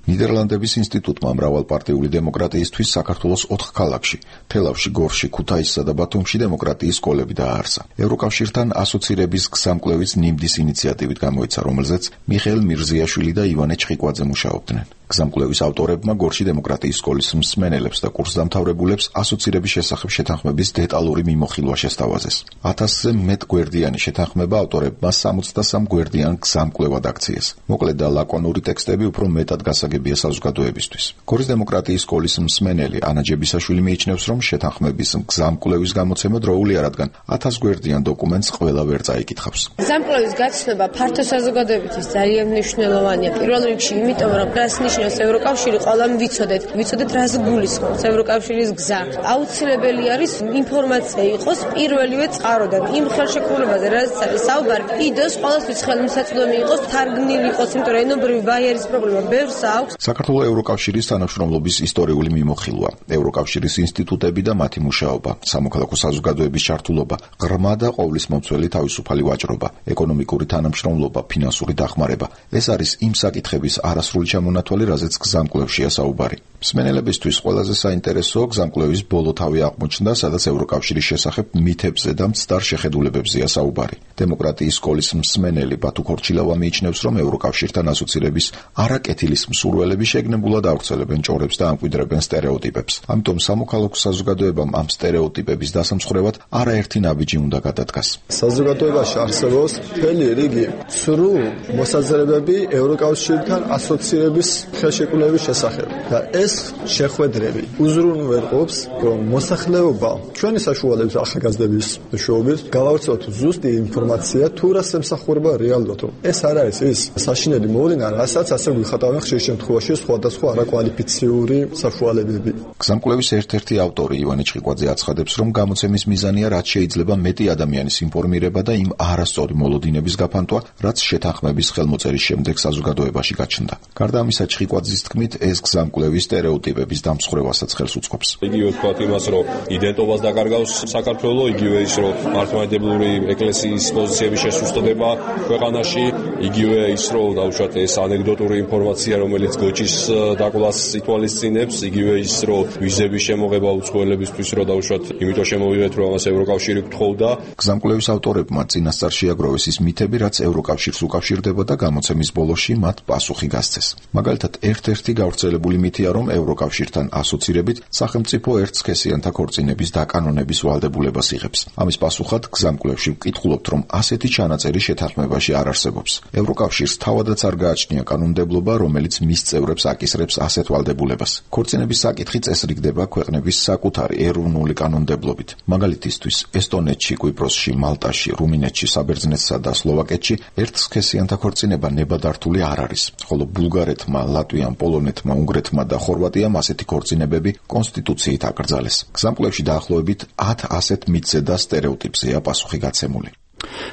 ნიდერლანდების ინსტიტუტმა მრავალპარტიული დემოკრატიისთვის საქართველოს 4 ქალაქში, თელავში, გორში, ქუთაისსა და ბათუმში დემოკრატიის სკოლები დააარსა. ევროკავშირთან ასოცირების გზამკვლევის ნიმდის ინიციატივით გამოიცა, რომელზეც მიხეილ მირზიაშვილი და ივანე ჩხიკვაძე მუშაობდნენ. გზამკვლევის ავტორებმა გორში დემოკრატიის სკოლის მსმენელებს და კურსდამთავრებულებს ასოცირების შესახებ შეთანხმების დეტალური მიმოხილვა შესთავაზეს. 1000-ზე მეტ გვერდიანი შეთანხმება ავტორებმა 63 გვერდიან გზამკვლევად აქციეს. მოკლედ და ლაკონური ტექსტები უფრო მეტად გასაგებია საზოგადოებისთვის. გორის დემოკრატიის სკოლის მსმენელი ანა ჯებისაშვილი მიიჩნევს, რომ შეთანხმების გზამკვლევის გამოცემა დროულია, რადგან 1000 გვერდიან დოკუმენტს ყველა ვერ წაიკითხავს. გზამკვლევის გაცნობა ფართო საზოგადოებისთვის ძალიან მნიშვნელოვანია. პირველ რიგში, იმიტომ რომ რას ნიშნავს ევროკავშირი, ყველამ ვიცოდეთ რას გულისხმობს ევროკავშირის გზა. აუცილებელი არის ინფორმაცია იყოს პირველივე წყაროდან იმ ხელშეკრულებაზე, რაზეც არის საუბარი, იდოს ყველასთვის ხელმისაწვდომი იყოს, თარგმნილი იყოს, იმიტომ რომ ენობრივი ბარიერის პრობლემა ბევრს აქვს. საქართველოს ევროკავშირის თანამშრომლობის ისტორიული მიმოხილვა, ევროკავშირის ინსტიტუტები და მათი მუშაობა, სამოქალაქო საზოგადოების ჩართულობა, ღრმა და ყოვლისმომცველი თავისუფალი ვაჭრობა, ეკონომიკური თანამშრომლობა, ფინანსური დახმარება. ეს არის იმ საკითხების არასრული ჩამონათვალი, რაზეც გზამკვლევშია საუბარი. მსმენელებისთვის ყველაზე საინტერესოა გზამკვლევის ბოლო თავი აღმოჩნდა, სადაც ევროკავშირის შესახებ მითებზე და მცდარ შეხედულებებზეა საუბარი. დემოკრატიის სკოლის მსმენელი ბათუ ქორჩილავა მიიჩნევს, რომ ევროკავშირთან ასოცირების არაკეთილის მსურველები შეგნებულად ავრცელებენ ჭორებს და ამკვიდრებენ სტერეოტიპებს. ამიტომ სამოქალაქო საზოგადოებამ ამ სტერეოტიპების დასამსხვრევად არაერთი ნაბიჯი უნდა გადადგას. საზოგადოებაში არსებობს მთელი რიგი ცრუ მოსაზრებები ევროკავშირთან ასოცირების ხელშეკრულების შესახებ და ეს შეხვედრები უზრუნველყოფს, რომ მოსახლეობა ჩვენი საშუალების ახალგაზრდების მეშვეობით გავავრცელოთ ზუსტი ინფორმაცია თუ რას ემსახურება რეალურად. ეს არ არის ის საშინელი მოვლენა, რასაც ასე გვიხატავენ ხშირ შემთხვევაში სხვადასხვა არაკვალიფიციური საშუალებები. გზამკვლევის ერთ-ერთი ავტორი ივანე ჩხიკვაძე აცხადებს, რომ გამოცემის მიზანია რაც შეიძლება მეტი ადამიანის ინფორმირება და იმ არასწორი მოლოდინების გაფანტვა, რაც შეთანხმების ხელმოწერის შემდეგ საზოგადოებაში გაჩნდა. გარდა ამისა, ჩხიკვაძის თქმით, ეს გზამკვლევი სტერეოტიპების დამსხვრევასაც ხელს უწყობს. იგივე ვთქვათ იმას, რომ იდენტობას დაკარგავს საქართველოს, იგივე ის, რომ მართლმადიდებლური ეკლესიის პოზიციების შესუსტდება ქვეყანაში, იგივე ის, რომ დავუშვათ ეს ანეკდოტური ინფორმაცია, რომელიც გოჭის დაკვლას ითვალისწინებს, იგივე ის, რომ ვიზების შემოღება უცხოელებისთვის, რომ დავუშვათ, იმიტომ შემოვიღეთ, რომ ამას ევროკავშირი გთხოვდა. გზამკვლევის ავტორებმა წინასწარ შეაგროვეს ის მითები, რაც ევროკავშირს უკავშირდება და გამოცემის ბოლოში მათ პასუხი გასცეს. მაგალითად, ერთ-ერთი გავრცელებული მითია, რომ ევროკავშირთან ასოცირებით სახელმწიფო ერთსქესიანთა ქორწინების დაკანონების ვალდებულებას იღებს. ამის პასუხად გზამკვლევში ვკითხულობთ, რომ ასეთი ჩანაწერი შეთანხმებაში არ არსებობს. ევროკავშირს თავადაც არ გააჩნია კანონმდებლობა, რომელიც მის წევრებს აკისრებს ასეთ ვალდებულებას. ქორწინების საკითხი წესრიგდება ქვეყნების საკუთარი ეროვნული კანონმდებლობით. მაგალითისთვის, ესტონეთში, კვიპროსში, მალტაში, რუმინეთში, საბერძნეთსა და სლოვაკეთში ერთსქესიანთა ქორწინება ნებადართული არ არის, ხოლო ბულგარეთმა, ლატვიამ, პოლონეთმა, უნგრეთმა და ხორვატიამ ასეთი ქორწინებები კონსტიტუციით აკრძალეს. გზამკვლევში დაახლოებით 10 ასეთ მითზე და სტერეოტიპზეა პასუხი გაცემული.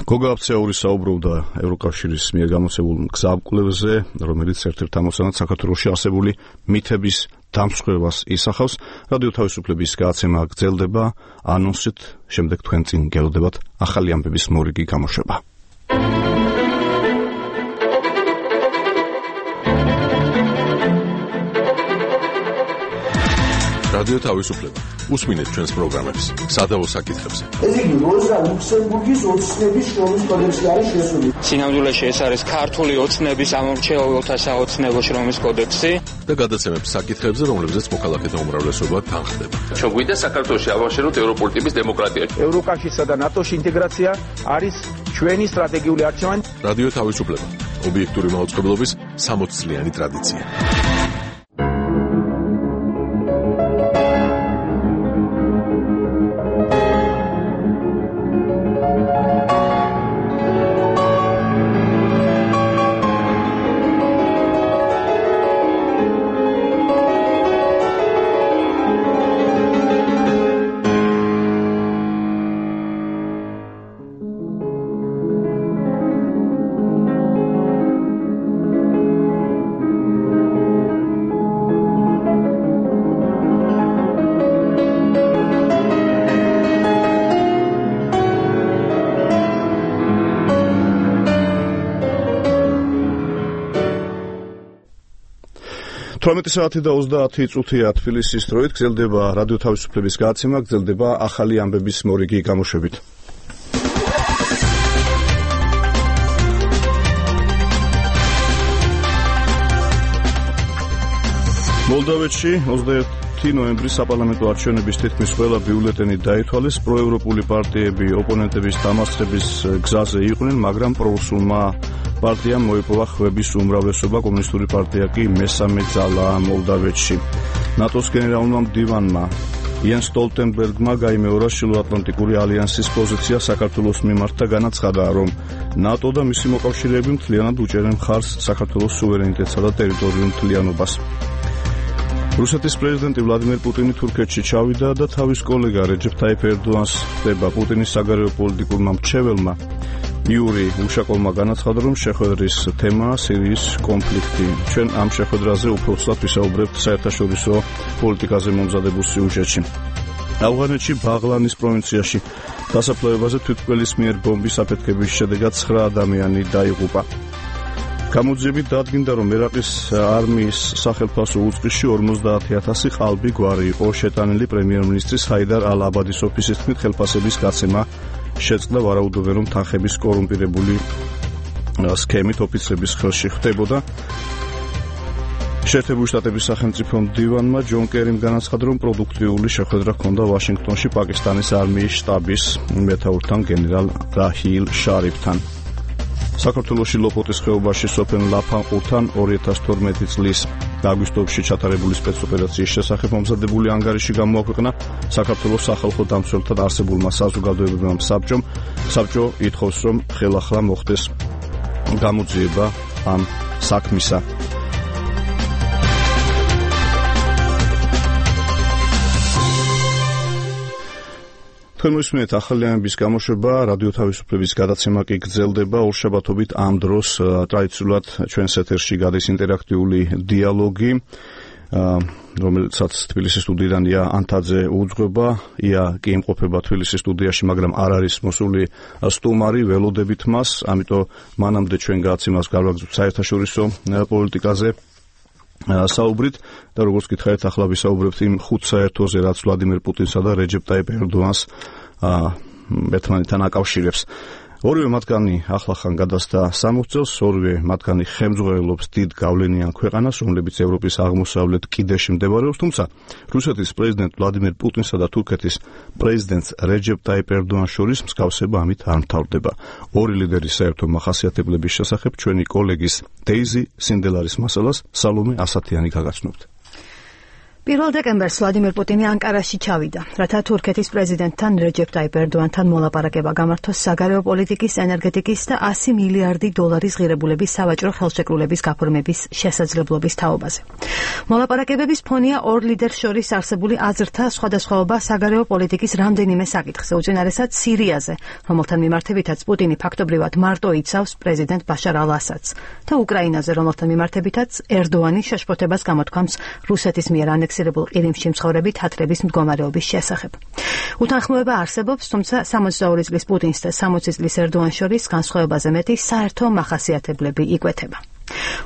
გოგა აფციაური საუბრობდა ევროკავშირის მიერ გამოცემულ გზამკვლევზე, რომელიც ერთ-ერთ ამოცანად საქართველოში არსებული მითების დამსხვრევას ისახავს. რადიო თავისუფლების გადაცემა გრძელდება, ანონსით შემდეგ თქვენ წინ გელოდებათ ახალი ამბების მორიგი გამოშვება. რადიო თავისუფლება. უსმინეთ ჩვენს პროგრამებს, სადავო საკითხებზე. ეს იგი როზა ლუქსემბურგის ოცნების შრომის კოდექსი არის შესული. სინამდვილეში ეს არის ქართული ოცნების ამორჩეულთა საოცნებო შრომის კოდექსი და გადაცემებს საკითხებზე, რომლებზეც მოქალაქეთა უმრავლესობა თანხდება. ჩვენ გვინდა საქართველოში ავაშენოთ ევროპული ტიპის დემოკრატია. ევროკავშირსა და ნატოში ინტეგრაცია არის ჩვენი სტრატეგიული არჩევანი. რადიო თავისუფლება. ობიექტური მაუწყებლობის 60 წლიანი ტრადიცია. 18 საათი და 30 წუთია თბილისის დროით გრძელდება რადიო თავისუფლების გადაცემა, გრძელდება ახალი ამბების მორიგი გამოშვებით. მოლდოვეთში 21 ნოემბრის საპარლამენტო არჩევნების თითქმის ყველა ბიულეტენი დაითვალეს. პროევროპული პარტიები ოპონენტების დამარცხების გზაზე იყვნენ, მაგრამ პრორუსულმა პარტიამ მოიპოვა ხვების უმრავლესობა, კომუნისტური პარტია კი მესამე ძალაა მოლდოვეთში. ნატოს გენერალურმა მდივანმა იენ სტოლტენბერგმა გაიმეორა შილოატლანტიკური ალიანსის პოზიცია საქართველოს მიმართ და განაცხადა, რომ ნატო და მისი მოკავშირეები მთლიანად უჭერენ მხარს საქართველოს სუვერენიტეტსა და ტერიტორიულ მთლიანობას. რუსეთის პრეზიდენტი ვლადიმერ პუტინი თურქეთში ჩავიდა და თავის კოლეგა რეჯეფ ტაიფ ერდოანს ხდება. პუტინის საგარეო პოლიტიკურმა მრჩეველმა იური უშაკოვმა განაცხადა, რომ შეხვედრის თემაა სირიის კონფლიქტი. ჩვენ ამ შეხვედრაზე უფრო ცუდად ვისაუბრებთ საერთაშორისო პოლიტიკაზე მომზადებულ სიუჟეტში. ავღანეთში ბაღლანის პროვინციაში დასაფლავებაზე თვითმკვლელის მიერ ბომბის აფეთქების შედეგად 9 ადამიანი დაიღუპა. გამოძიებით დადგინდა, რომ ერაყის არმიის სახელმწიფო უწყისში 50,000 ყალბი გვარი იყო შეტანილი. პრემიერ-მინისტრის ჰაიდარ ალ-აბადის ოფისის თქმით, ხელფასების გაცემა შეწყდა, ვარაუდობენ, რომ თანხების კორუმპირებული სქემით ოფიცრების ხელში ხდებოდა. შეერთებული შტატების სახელმწიფო მდივანმა ჯონ კერიმ განაცხადა, რომ პროდუქტიული შეხვედრა ჰქონდა ვაშინგტონში პაკისტანის არმიის შტაბის მეთაურთან გენერალ რაჰილ შარიფთან. საქართველოში ლოპოტის ხეობაში სოფელ ლაფანყურთან 2012 წლის აგვისტოში ჩატარებული სპეცოპერაციის შესახებ მომზადებული ანგარიში გამოაქვეყნა საქართველოს სახალხო დამცველთა არსებულმა საზოგადოებებმა საბჭომ. საბჭო ითხოვს, რომ ხელახლა მოხდეს გამოძიება ამ საქმისა. თქვენ მოსმენთ ახალი ამბების გამოშვება, რადიო თავისუფლების გადაცემა კი გრძელდება ორშაბათობით ამ დროს. ტრადიციულად ჩვენს ეთერში გადის ინტერაქტიული დიალოგი, რომელსაც თბილისის სტუდიიდან ია ანთაძე უძღვება. ია კი იმყოფება თბილისის სტუდიაში, მაგრამ არ არის მოსული სტუმარი, ველოდებით მას, ამიტომ მანამდე ჩვენ გადაცემას გავაგზავნებთ საერთაშორისო პოლიტიკაზე საუბრით და როგორც გითხარით, ახლა ვისაუბრებთ იმ ხუთ საერთოზე, რაც ვლადიმერ პუტინსა და რეჯეფ ტაიფ ერდოანს ერთმანეთთან აკავშირებს. ორივე მათგანი ახლახან გადასდა 60 წელს, ორივე მათგანი ხელმძღვანელობს დიდ გავლენიან ქვეყანას, რომლებიც ევროპის აღმოსავლეთ კიდეში მდებარეობს, თუმცა რუსეთის პრეზიდენტ ვლადიმერ პუტინსა და თურქეთის პრეზიდენტ რეჯეფ ტაიფ ერდოანს შორის მსგავსება ამით არ მთავრდება. ორი ლიდერის საერთო მახასიათებლების შესახებ ჩვენი კოლეგის დეიზი სინდელარის მასალას სალომე ასათიანი გაგაცნობთ. 1 დეკემბერს ვლადიმერ პუტინი ანკარაში ჩავიდა, რათა თურქეთის პრეზიდენტთან რეჯეფ ტაიფ ერდოანთან მოლაპარაკება გამართოს საგარეო პოლიტიკის, ენერგეტიკის და 100 მილიარდი დოლარის ღირებულების სავაჭრო ხელშეკრულების გაფორმების შესაძლებლობის თაობაზე. მოლაპარაკებების ფონია ორ ლიდერს შორის არსებული აზრთა სხვადასხვაობა საგარეო პოლიტიკის რამდენიმე საკითხზე, უწინარესად სირიაზე, რომელთან მიმართებითაც პუტინი ფაქტობრივად მარტო იცავს პრეზიდენტ ბაშარ ალ-ასადს და უკრაინაზე, რომელთან მიმართებითაც ერდოანი შეშფოთებას გამოთქვამს რუსეთის მიერ ანექსირებულ ყირიმში მცხოვრები თათრების მდგომარეობის შესახებ. უთანხმოება არსებობს, თუმცა 62 წლის პუტინს და 60 წლის ერდოანს შორის განსხვავებაზე მეტი საერთო მახასიათებლები იკვეთება.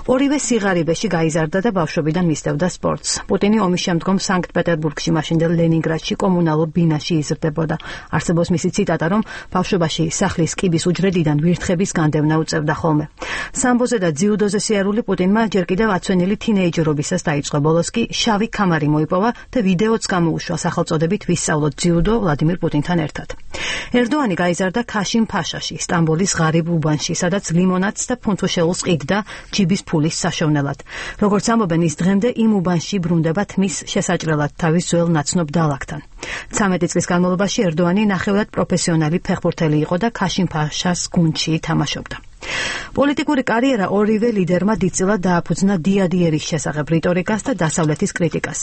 ორივე სიღარიბეში გაიზარდა და ბავშვობიდან მისდევდა სპორტს. პუტინი ომის შემდგომ სანქტ-პეტერბურგში, მაშინდელ ლენინგრადში კომუნალურ ბინაში იზრდებოდა. არსებობს მისი ციტატა, რომ ბავშვობაში სახლის კიბის უჯრედიდან ვირთხების განდევნა უწევდა ხოლმე. სამბოზე და ძიუდოზე სიარული პუტინმა ჯერ კიდევ აცვენილი თინეიჯერობისას დაიწყო. ბოლოს კი შავი ქამარი მოიპოვა და ვიდეოც გამოუშვა სახელწოდებით ვისწავლოთ ძიუდო ვლადიმერ პუტინთან ერთად. ერდოანი გაიზარდა ქაშინ ფაშაში, სტამბოლის ღარიბ უბანში, სადაც ლიმონადს და ფუნთუშეულს ყიდდა ჯიბის ფულის საშოვნელად. როგორც ამბობენ, ის დღემდე იმ უბანში ბრუნდება თმის შესაჭრელად თავის ძველ ნაცნობ დალაგთან. 13 წლის განმავლობაში ერდოანი ნახევრად პროფესიონალი ფეხბურთელი იყო და ქაშინ ფაშას გუნდში თამაშობდა. პოლიტიკური კარიერა ორივე ლიდერმა დიდწილად დააფუძნა დიადიერის შესახებ რიტორიკას და დასავლეთის კრიტიკას.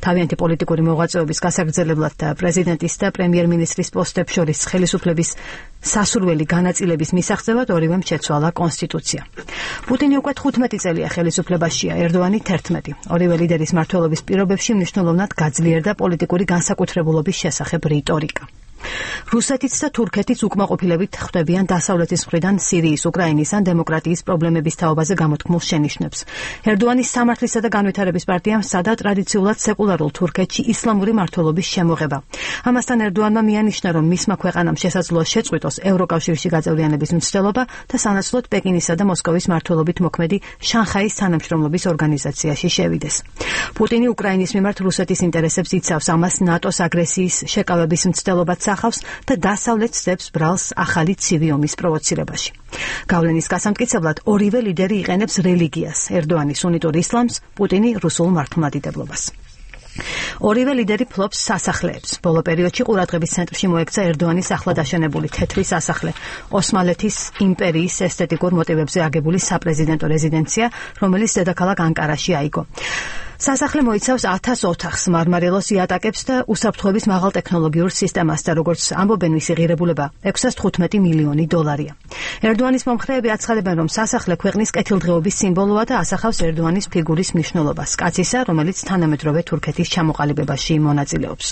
თავიანთი პოლიტიკური მოღვაწეობის გასაგრძელებლად და პრეზიდენტის და პრემიერ-მინისტრის პოსტებს შორის ხელისუფლების სასურველი განაწილების მისაღწევად ორივემ შეცვალა კონსტიტუცია. პუტინი უკვე 15 წელია ხელისუფლებაშია, ერდოანი 11. ორივე ლიდერის მმართველობის პირობებში მნიშვნელოვნად გაძლიერდა პოლიტიკური განსაკუთრებულობის შესახებ რიტორიკა. რუსეთიც და თურქეთიც უკმაყოფილებით ხვდებიან დასავლეთის მხრიდან სირიის, უკრაინის ან დემოკრატიის პრობლემების თაობაზე გამოთქმულ შენიშვნებს. ერდოანის სამართლისა და განვითარების პარტიამ სცადა ტრადიციულად სეკულარულ თურქეთში ისლამური მმართველობის შემოღება. ამასთან ერდოანმა მიანიშნა, რომ მისმა ქვეყანამ შესაძლოა შეწყვიტოს ევროკავშირში გაწევრიანების მცდელობა და სანაცვლოდ პეკინისა და მოსკოვის მმართველობით მოქმედი შანხაის თანამშრომლობის ორგანიზაციაში შევიდეს. პუტინი უკრაინის მიმართ რუსეთის ინტერესებს იცავს, ამას ნატოს აგრესიის შეკავების მცდელობაც ახავს და დასავლეთს ძებს ბრალს ახალი ცივი ომის პროვოცირებაში. გავლენის გასამტკიცებლად ორივე ლიდერი იყენებს რელიგიას, ერდოანი სუნიტურ ისლამს, პუტინი რუსულ მართლმადიდებლობას. ორივე ლიდერი ფლობს სასახლეებს. ბოლო პერიოდში ყურადღების ცენტრში მოექცა ერდოანის ახლად აშენებული თეთრი სასახლე, ოსმალეთის იმპერიის ესთეტიკურ მოტივებზე აგებული საპრეზიდენტო რეზიდენცია, რომელიც დედაქალაქ ანკარაში აიგო. სასახლე მოიცავს 1000 ოთახს, მარმარილოს იატაკებს და უსაფრთხოების მაღალტექნოლოგიურ სისტემას და როგორც ამბობენ მისი ღირებულება 615 მილიონი დოლარია. ერდოანის მომხრეები აცხადებენ, რომ სასახლე ქვეყნის კეთილდღეობის სიმბოლოა და ასახავს ერდოანის ფიგურის მნიშვნელობას, კაცისა, რომელიც თანამედროვე თურქეთის ჩამოყალიბებაში მონაწილეობს.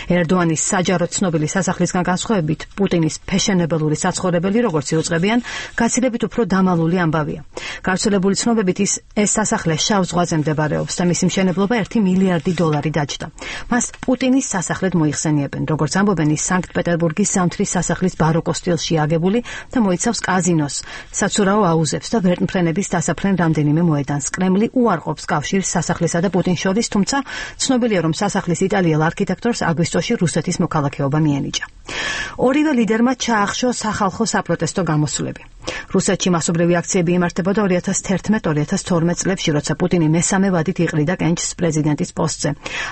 ერდოანის საჯაროდ ცნობილი სასახლისგან განსხვავებით, პუტინის ფეშენებელური საცხოვრებელი, როგორც იუწყებიან, გაცილებით უფრო დამალული ამბავია. გავრცელებული ცნობებით ეს სასახლე შავ ზღვაზე მდებარეობს და მისი მშენებლობა 1 მილიარდი დოლარი დაჯდა. მას პუტინის სასახლედ მოიხსენიებენ, როგორც ამბობენ, ის სანქტ-პეტერბურგის ზამთრის სასახლის ბაროკო სტილში აგებული და მოიცავს კაზინოს, საცურაო აუზებს და ვერტმფრენების დასაფრენ რამდენიმე მოედანს. კრემლი უარყოფს კავშირს სასახლისა და პუტინს შორის, თუმცა ცნობილია, რომ სასახლის იტალიელ არქიტექტორს აგვისტოში რუსეთის მოქალაქეობა მიენიჭა. ორივე ლიდერმა ჩაახშო სახალხო საპროტესტო გამოსვლები. რუსეთში მასობრივი აქციები იმართებოდა 2011-2012 წლებში, როცა პუტინი მესამე ვადით იყრიდა კენჭს პრეზიდენტის პოსტზე.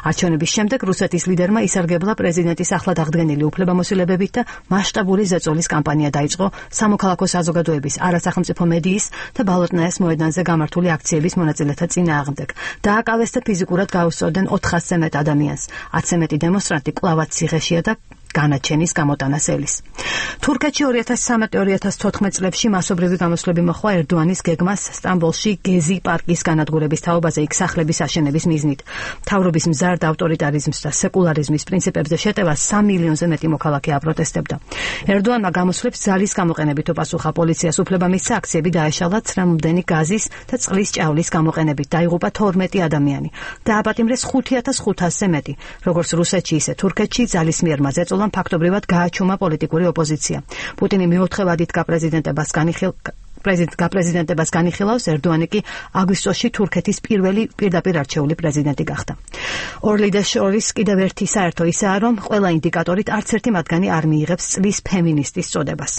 არჩევნების შემდეგ რუსეთის ლიდერმა ისარგებლა პრეზიდენტის ახლად აღდგენილი უფლებამოსილებებით და მასშტაბური ზეწოლის კამპანია დაიწყო სამოქალაქო საზოგადოების, არასახელმწიფო მედიის და ბალოტნაეს მოედანზე გამართული აქციების მონაწილეთა წინააღმდეგ. დააკავეს და ფიზიკურად გაუსწორდნენ 400-ზე მეტ ადამიანს. 10-ზე მეტი დემონსტრანტი კვლავაც ციხეშია და განაჩენის გამოტანას ელის. თურქეთში 2013-2014 წლებში მასობრივი გამოსვლები მოხდა ერდოანის გეგმას სტამბოლში გეზი პარკის განადგურების თაობაზე, იქ სახლების აშენების მიზნით. მთავრობის მზარდ ავტორიტარიზმს და სეკულარიზმის პრინციპებზე შეტევას 3 მილიონზე მეტი მოქალაქე აპროტესტებდა. ერდოანმა გამოსვლებს ძალის გამოყენებით უპასუხა, პოლიციას უფლება მისცა აქციები დაეშალა ცრემლმდენი გაზის და წყლის ჭავლის გამოყენებით, დაიღუპა 12 ადამიანი. დააპატიმრეს 5500-ზე მეტი. როგორც რუსეთში, ისე თურქეთში ძალის მიერ მაზეწოლა ფაქტობრივად გააჩუმა პოლიტიკური ოპოზიცია. პუტინი მეოთხე ვადით გაპრეზიდენტებას განიხილავს, ერდოანი კი აგვისტოში თურქეთის პირველი პირდაპირ არჩეული პრეზიდენტი გახდა. ორ ლიდერს შორის კიდევ ერთი საერთო ისაა, რომ ყველა ინდიკატორით არც ერთი მათგანი არ მიიღებს წლის ფემინისტის წოდებას.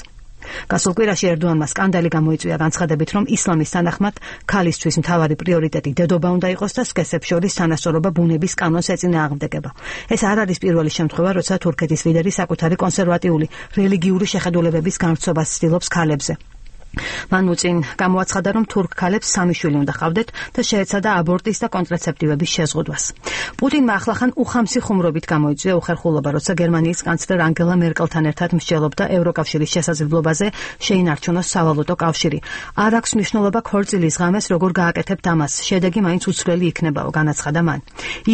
გასულ კვირაში ერდოანმა სკანდალი გამოიწვია განცხადებით, რომ ისლამის თანახმად ქალისთვის მთავარი პრიორიტეტი დედობა უნდა იყოს და სქესებს შორის თანასწორობა ბუნების კანონს ეწინააღმდეგება. ეს არ არის პირველი შემთხვევა, როცა თურქეთის ლიდერი საკუთარი კონსერვატიული რელიგიური შეხედულებების გამრცობას ცდილობს ქალებზე. მან უწინ გამოაცხადა, რომ თურქ ქალებს 3 შვილი უნდა ჰყავდეთ და შეეცადა აბორტის და კონტრაცეპტივების შეზღუდვას. პუტინმა ახლახან უხამსი ხუმრობით გამოიწვია უხერხულობა, როცა გერმანიის კანცლერ ანგელა მერკელთან ერთად მსჯელობდა ევროკავშირის შესაძლებლობაზე შეინარჩუნოს სავალუტო კავშირი. არ აქვს მნიშვნელობა ქორწილის ღამეს როგორ გააკეთებთ ამას, შედეგი მაინც უცვლელი იქნებაო, განაცხადა მან.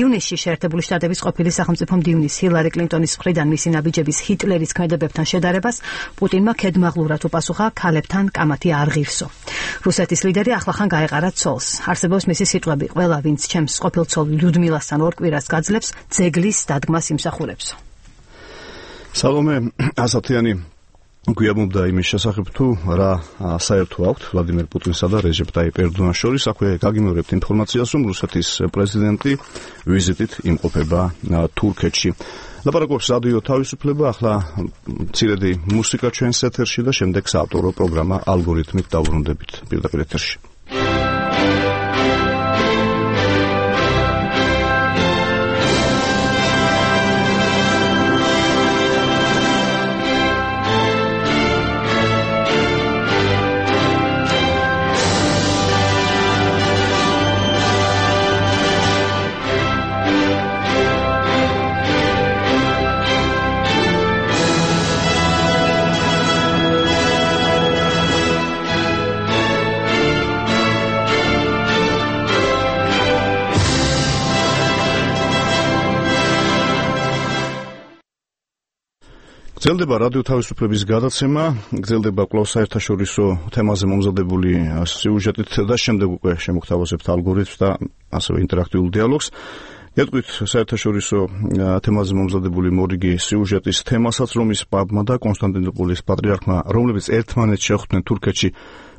ივნისში შეერთებული შტატების ყოფილი სახელმწიფო მდივნის ჰილარი კლინტონის მხრიდან მისი ნაბიჯების ჰიტლერის ქმედებებთან შედარებას პუტინმა ქედმაღლურად უპასუხა, ქალებთან მათი არ ღირსო. რუსეთის ლიდერი ახლახან გაეყარა ცოლს. არსებობს მისი სიტყვები, ყველა ვინც ჩემს ყოფილ ცოლ ლიუდმილასთან ორ კვირას გაძლებს, ძეგლის დადგმას იმსახურებსო. სალომე ასათიანი გვიამობდა იმის შესახებ, თუ რა საერთო აქვს ვლადიმერ პუტინსა და რეჟეპ ტაიპ ერდოანს შორის. აქვე გაგიმეორებთ ინფორმაციას, რომ რუსეთის პრეზიდენტი ვიზიტით იმყოფება თურქეთში. ლაპარაკობს რადიო თავისუფლება, ახლა მცირედი მუსიკა ჩვენს ეთერში და შემდეგ საავტორო პროგრამა ალგორითმით დავბრუნდებით პირდაპირ ეთერში. გრძელდება რადიო თავისუფლების გადაცემა, გრძელდება კვლავ საერთაშორისო თემაზე მომზადებული სიუჟეტით და შემდეგ უკვე შემოგთავაზებთ ალგორითმს და ასევე ინტერაქტიულ დიალოგს. გეტყვით საერთაშორისო თემაზე მომზადებული მორიგი სიუჟეტის თემასაც, რომის პაპმა და კონსტანტინოპოლის პატრიარქმა, რომლებიც ერთმანეთს შეხვდნენ თურქეთში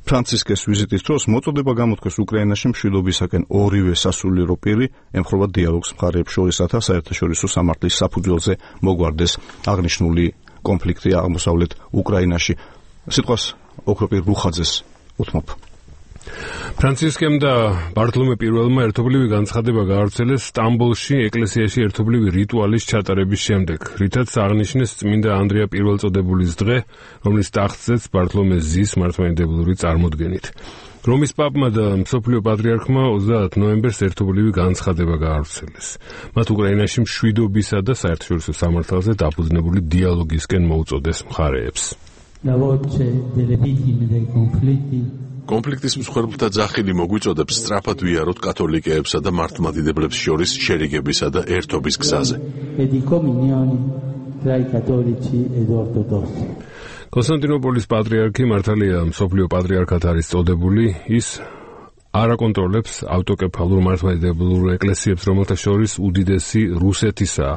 ფრანცისკეს ვიზიტის დროს, მოწოდება გამოთქვეს უკრაინაში მშვიდობისაკენ ორივე სასულიერო პირი ემხრობა დიალოგს მხარეებს შორის, რათა საერთაშორისო სამართლის საფუძველზე მოგვარდეს აღნიშნული კონფლიქტი აღმოსავლეთ უკრაინაში. სიტყვას ოქროპირ რუხაძეს უთმობ. ფრანცისკემ და ბართლომე პირველმა ერთობლივი განცხადება გაავრცელეს სტამბოლში ეკლესიაში ერთობლივი რიტუალის ჩატარების შემდეგ, რითაც აღნიშნეს წმინდა ანდრია პირველწოდებულის დღე, რომლის ტახტზეც ბართლომე ზის მართლმადიდებლური წარმოდგენით. რომის პაპმა და მსოფლიო პატრიარქმა 30 ნოემბერს ერთობლივი განცხადება გაავრცელეს. მათ უკრაინაში მშვიდობისა და საერთაშორისო სამართალზე დაფუძნებული დიალოგისკენ მოუწოდეს მხარეებს. კონფლიქტის მსხვერპლთა ძახილი მოგვიწოდებს სწრაფად ვიაროთ კათოლიკეებსა და მართლმადიდებლებს შორის შერიგებისა და ერთობის გზაზე. კონსტანტინოპოლის პატრიარქი მართალია მსოფლიო პატრიარქად არის წოდებული, ის არ აკონტროლებს ავტოკეფალურ მართლმადიდებლურ ეკლესიებს, რომელთა შორის უდიდესი რუსეთისაა.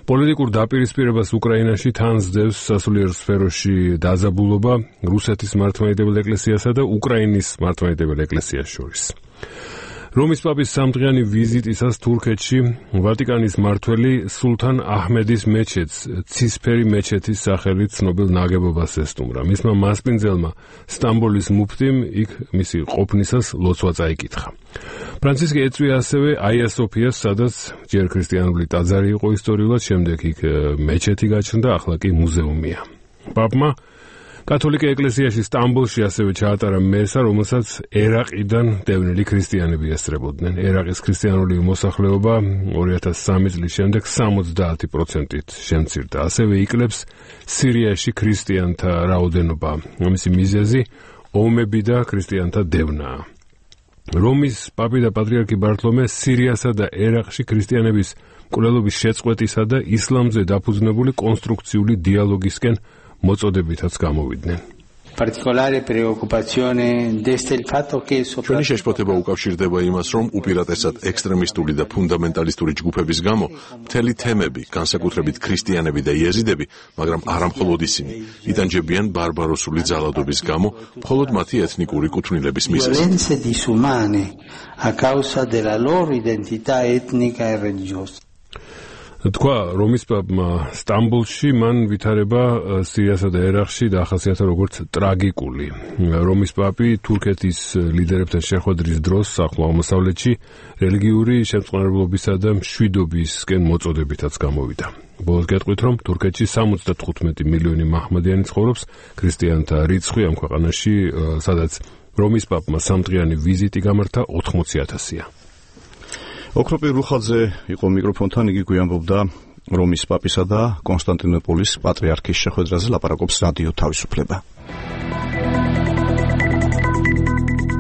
პოლიტიკურ დაპირისპირებას უკრაინაში თან სდევს სასულიერო სფეროში დაძაბულობა რუსეთის მართლმადიდებელ ეკლესიასა და უკრაინის მართლმადიდებელ ეკლესიას შორის. რომის პაპის სამდღიანი ვიზიტისას თურქეთში ვატიკანის მმართველი სულთან აჰმედის მეჩეთს, ცისფერი მეჩეთის სახელით ცნობილ ნაგებობას ესტუმრა. მისმა მასპინძელმა სტამბოლის მუფტიმ იქ მისი ყოფნისას ლოცვა წაიკითხა. ფრანცისკე ეწვია ასევე აია სოფიას, სადაც ჯერ ქრისტიანული ტაძარი იყო ისტორიულად, შემდეგ იქ მეჩეთი გაჩნდა, ახლა კი მუზეუმია. პაპმა კათოლიკე ეკლესიაში სტამბოლში ასევე ჩაატარა მესა, რომელსაც ერაყიდან დევნილი ქრისტიანები ესწრებოდნენ. ერაყის ქრისტიანული მოსახლეობა 2003 წლის შემდეგ 70%-ით შემცირდა. ასევე იკლებს სირიაში ქრისტიანთა რაოდენობა. ამისი მიზეზი ომები და ქრისტიანთა დევნაა. რომის პაპი და პატრიარქი ბართლომე სირიასა და ერაყში ქრისტიანების მკვლელობის შეწყვეტისა და ისლამზე დაფუძნებული კონსტრუქციული დიალოგისკენ მოწოდებითაც გამოვიდნენ. ჩვენი შეშფოთება უკავშირდება იმას, რომ უპირატესად ექსტრემისტული და ფუნდამენტალისტური ჯგუფების გამო მთელი თემები, განსაკუთრებით ქრისტიანები და იეზიდები, მაგრამ არამხოლოდ ისინი, იტანჯებიან ბარბაროსული ძალადობის გამო მხოლოდ მათი ეთნიკური კუთვნილების მიზეზით. თქვა რომის პაპმა სტამბოლში, მან ვითარება სირიასა და ერაყში დაახასიათა როგორც ტრაგიკული. რომის პაპი თურქეთის ლიდერებთან შეხვედრის დროს ახლო აღმოსავლეთში რელიგიური შემწყნარებლობისა და მშვიდობისკენ მოწოდებითაც გამოვიდა. ბოლოს გეტყვით, რომ თურქეთში 75 მილიონი მაჰმადიანი ცხოვრობს, ქრისტიანთა რიცხვი ამ ქვეყანაში, სადაც რომის პაპმა სამდღიანი ვიზიტი გამართა 80,000-ია. ოქროპირ რუხაძე იყო მიკროფონთან, იგი გვიამბობდა რომის პაპისა და კონსტანტინოპოლის პატრიარქის შეხვედრაზე ლაპარაკობს რადიო თავისუფლება.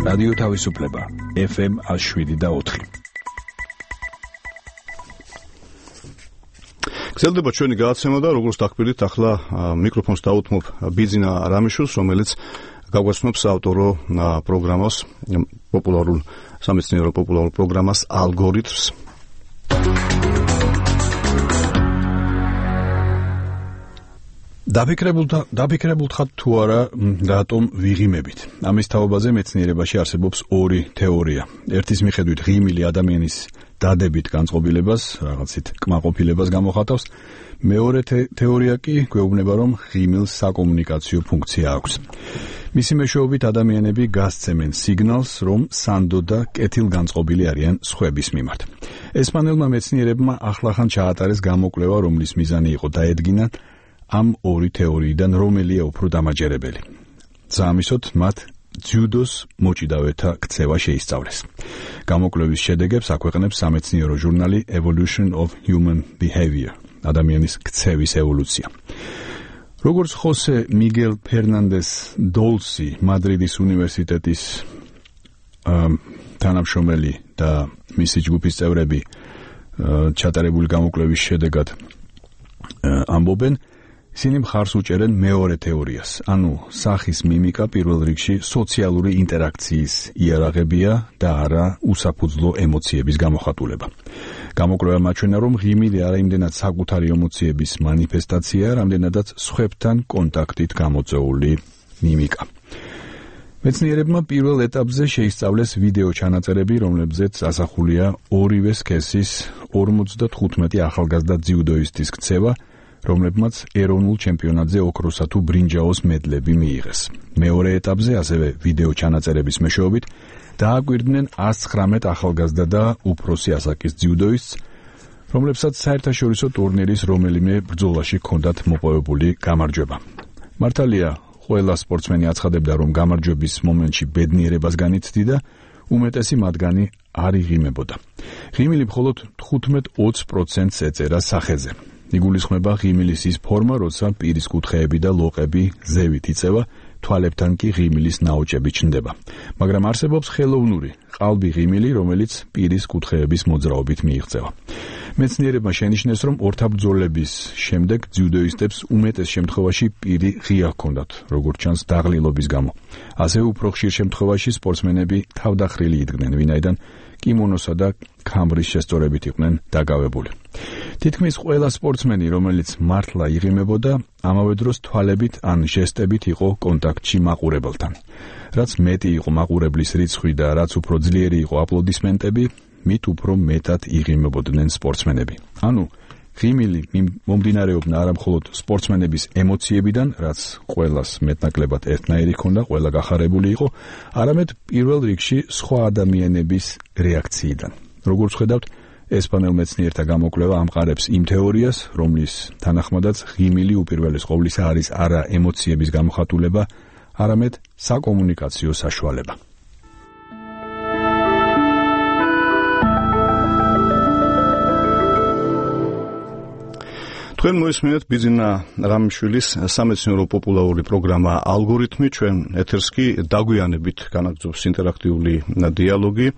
რადიო თავისუფლება FM 107.4. გრძელდება ჩვენი გადაცემა და როგორც დაგხვდით, ახლა მიკროფონს დაუთმობ ბიძინა რამიშვილს, რომელიც გაგვაცნობს ავტორო პროგრამას, პოპულარულ სამეცნიერო პოპულარულ პროგრამას ალგორითმს. დაფიქრებულ ხართ თუ არა რატომ ვიღიმებით. ამის თაობაზე მეცნიერებაში არსებობს ორი თეორია. ერთის მიხედვით ღიმილი ადამიანის დადებით განწყობილებას, რაღაცით კმაყოფილებას გამოხატავს. მეორე თეორია კი გვეუბნება, რომ ღიმილს საკომუნიკაციო ფუნქცია აქვს. მისი მეშვეობით ადამიანები გასცემენ სიგნალს, რომ სანდო და კეთილგანწყობილი არიან სხვების მიმართ. ესპანელმა მეცნიერებმა ახლახან ჩაატარეს გამოკვლევა, რომლის მიზანი იყო დაედგინან ამ ორი თეორიიდან რომელია უფრო დამაჯერებელი. ზამისოთ მათ ძიუდოს მოჭიდავეთა ქცევა შეისწავლეს. გამოკვლევის შედეგებს აქვეყნებს სამეცნიერო ჟურნალი Evolution of Human Behavior, ადამიანის ქცევის ევოლუცია. როგორც ხოსე მიგელ ფერნანდეს დოლსი, მადრიდის უნივერსიტეტის თანამშრომელი და მისი ჯგუფის წევრები ჩატარებული გამოკვლევის შედეგად ამბობენ, ისინი მხარს უჭერენ მეორე თეორიას, ანუ სახის მიმიკა პირველ რიგში სოციალური ინტერაქციის იარაღებია და არა უსაფუძვლო ემოციების გამოხატულება. გამოკვლევამ აჩვენა, რომ ღიმილი არა იმდენად საკუთარი ემოციების მანიფესტაცია, რამდენადაც სხვებთან კონტაქტით გამოწვეული მიმიკა. მეცნიერებმა პირველ ეტაპზე შეისწავლეს ვიდეო ჩანაწერები, რომლებზეც ასახულია ორივე სქესის 55 ახალგაზრდა ძიუდოისტის ქცევა, რომლებმაც ეროვნულ ჩემპიონატზე ოქროსა თუ ბრინჯაოს მედლები მიიღეს. მეორე ეტაპზე, ასევე ვიდეო ჩანაწერების მეშვეობით, დააკვირდნენ 119 ახალგაზრდა და უფროსი ასაკის ძიუდოისტს, რომლებსაც საერთაშორისო ტურნირის რომელიმე ბრძოლაში ჰქონდათ მოპოვებული გამარჯვება. მართალია, ყველა სპორტსმენი აცხადებდა, რომ გამარჯვების მომენტში ბედნიერებას განიცდიდა, უმეტესი მათგანი არ იღიმებოდა. ღიმილი მხოლოდ 15-20%-ს ეწერა სახეზე. იგულისხმება ღიმილის ის ფორმა, როცა პირის კუთხეები და ლოყები ზევით იწევა, თვალებთან კი ღიმილის ნაოჭები ჩნდება. მაგრამ არსებობს ხელოვნური, ყალბი ღიმილი, რომელიც პირის კუთხეების მოძრაობით მიიღწევა. მეცნიერებმა შენიშნეს, რომ ორთაბრძოლების შემდეგ ძიუდოისტებს უმეტეს შემთხვევაში პირი ღია ჰქონდათ, როგორც ჩანს დაღლილობის გამო. ასევე უფრო ხშირ შემთხვევაში სპორტსმენები თავდახრილი იდგნენ, ვინაიდან კიმონოსა და ქამბრის შესწორებით იყვნენ დაგავებული. თითქმის ყველა სპორტსმენი, რომელიც მართლა იღიმებოდა, ამავე დროს თვალებით ან ჟესტებით იყო კონტაქტში მაყურებელთან. რაც მეტი იყო მაყურებლის რიცხვი და რაც უფრო ძლიერი იყო აპლოდისმენტები, მით უფრო მეტად იღიმებოდნენ სპორტსმენები. ანუ ღიმილი მომდინარეობდა არა მხოლოდ სპორტსმენების ემოციებიდან, რაც ყველას მეტნაკლებად ერთნაირი ჰქონდა, ყველა გახარებული იყო, არამედ პირველ რიგში სხვა ადამიანების რეაქციიდან. როგორც ხედავთ, ესპანელ მეცნიერთა გამოკვლევა ამყარებს იმ თეორიას, რომლის თანახმადაც ღიმილი უპირველეს ყოვლისა არის არა ემოციების გამოხატულება, არამედ საკომუნიკაციო საშუალება. თქვენ მოისმინეთ ბიძინა რამიშვილის სამეცნიერო პოპულარული პროგრამა ალგორითმი, ჩვენ ეთერს კი დაგვიანებით განაგრძობს ინტერაქტიული დიალოგი.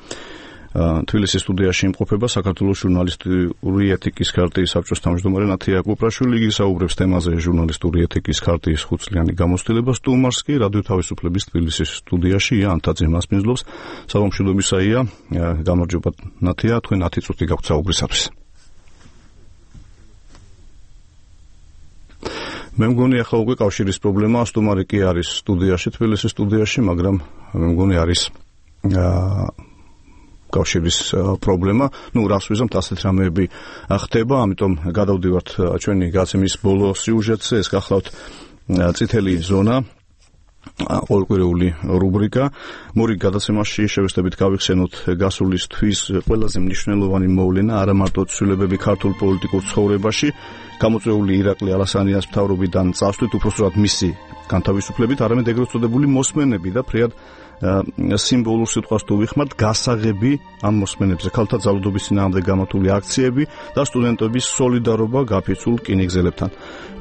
თბილისის სტუდიაში იმყოფება საქართველოს ჟურნალისტური ეთიკის ქარტიის საბჭოს თავმჯდომარე ნათია კუპრაშვილი, იგი საუბრებს თემაზე ჟურნალისტური ეთიკის ქარტიის 5-წლიანი გამოცდილება. სტუმარს კი რადიო თავისუფლების თბილისის სტუდიაში ია ანთაძე მასპინძლობს. საღამოშუდობისაია, გამარჯობა ნათია, თქვენ 10 წუთი გაქვთ საუბრისათვის. მე მგონი ახლა უკვე კავშირის პრობლემაა, სტუმარი კი არის სტუდიაში, თბილისის სტუდიაში, მაგრამ მე მგონი არის კავშირის პრობლემა. ნუ რას ვიზამთ, ასეთ რამეები ხდება, ამიტომ გადავდივართ ჩვენი გაცემის ბოლო სიუჟეტზე. ეს გახლავთ წითელი ზონა, ყოველკვირეული რუბრიკა. მორიგ გადაცემაში შევეცდებით გავიხსენოთ გასულის თვის ყველაზე მნიშვნელოვანი მოვლენა, არა მარტო ცვლილებები ქართულ პოლიტიკურ ცხოვრებაში, გამოწვეული ირაკლი ალასანიას მთავრობიდან წასვლით, უпроსტად მისი განთავისუფლებით, არამედ ეგრეთ წოდებული მოსმენები და ფრიად სიმბოლურ სიტყვას თუ ვიხმართ, გასაღები ამ მოსმენებზე, ქალთა ძალადობის წინააღმდეგ გამართული აქციები და სტუდენტების სოლიდარობა გაფიცულ რკინიგზელებთან.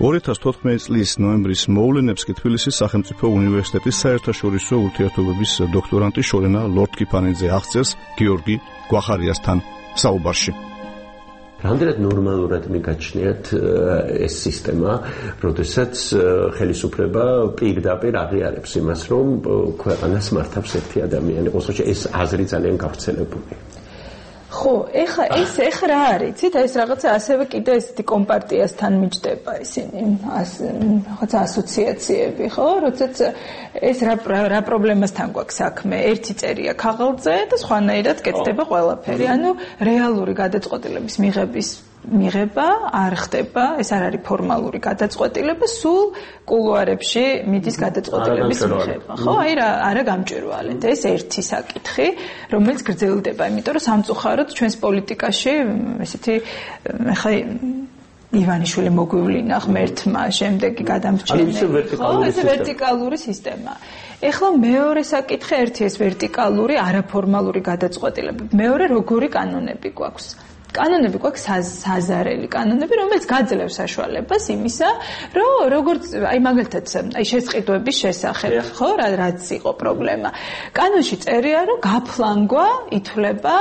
2014 წლის ნოემბრის მოვლენებს კი თბილისის სახელმწიფო უნივერსიტეტის საერთაშორისო ურთიერთობების დოქტორანტი შორენა ლორდ-კიფანიძე აღწერს გიორგი გვახარიასთან საუბარში. რამდენად ნორმალურად მიგაჩნიათ ეს სისტემა, როდესაც ხელისუფლება პირდაპირ აღიარებს იმას, რომ ქვეყანას მართავს ერთი ადამიანი, ყოველთვის ეს აზრი ძალიან გავრცელებული. ხო, ეხა რა არის? იცით, ეს რაღაცა ასევე კიდე ესეთი კომპარტიასთან მიჯდება ისინი, რაღაცა ასოციაციები, ხო? როდესაც ეს რა პრობლემასთან გვაქვს საქმე? ერთი წერია ქაღალდზე და სხვანაირად კეთდება ყველაფერი. ანუ რეალური გადაწყვეტილების მიღება არ ხდება, ეს არ არის ფორმალური გადაწყვეტილება, სულ კულუარებში მიდის გადაწყვეტილების მიღება. ხო, აი არა გამჭვირვალეთ. ეს ერთი საკითხი, რომელიც გრძელდება, იმიტომ რომ სამწუხაროდ ჩვენს პოლიტიკაში ესეთი ხა ივანიშვილი მოგვივლინა ღმერთმა, შემდეგი გადამრჩენელი. ხო, ეს ვერტიკალური სისტემა. ეხლა მეორე საკითხი, ერთი ეს ვერტიკალური, არაფორმალური გადაწყვეტილება. მეორე როგორი კანონები გვაქვს? კანონები გვაქვს საზარელი კანონები, რომელიც გაძლევს საშუალებას იმისა, რომ როგორც აი მაგალითად აი შესყიდვების შესახებ, ხო, რაც იყო პრობლემა. კანონში წერია, რომ გაფლანგვა ითვლება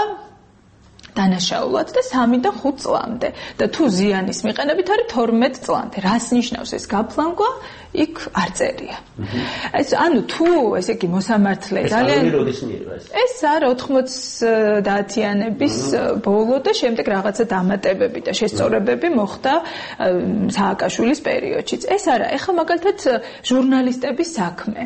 დანაშაულად და 3-დან 5 წლამდე და თუ ზიანის მიყენებით არის 12 წლამდე. რას ნიშნავს ეს გაფლანგვა? იქ არ წერია. ეს ანუ თუ ესე იგი მოსამართლე ძალიან ეს არა 90-იანების ბოლო და შემდეგ რაღაცა დამატებები და შესწორებები მოხდა სააკაშვილის პერიოდშიც. ეს არა, ეხლა მაგალითად ჟურნალისტების საქმე.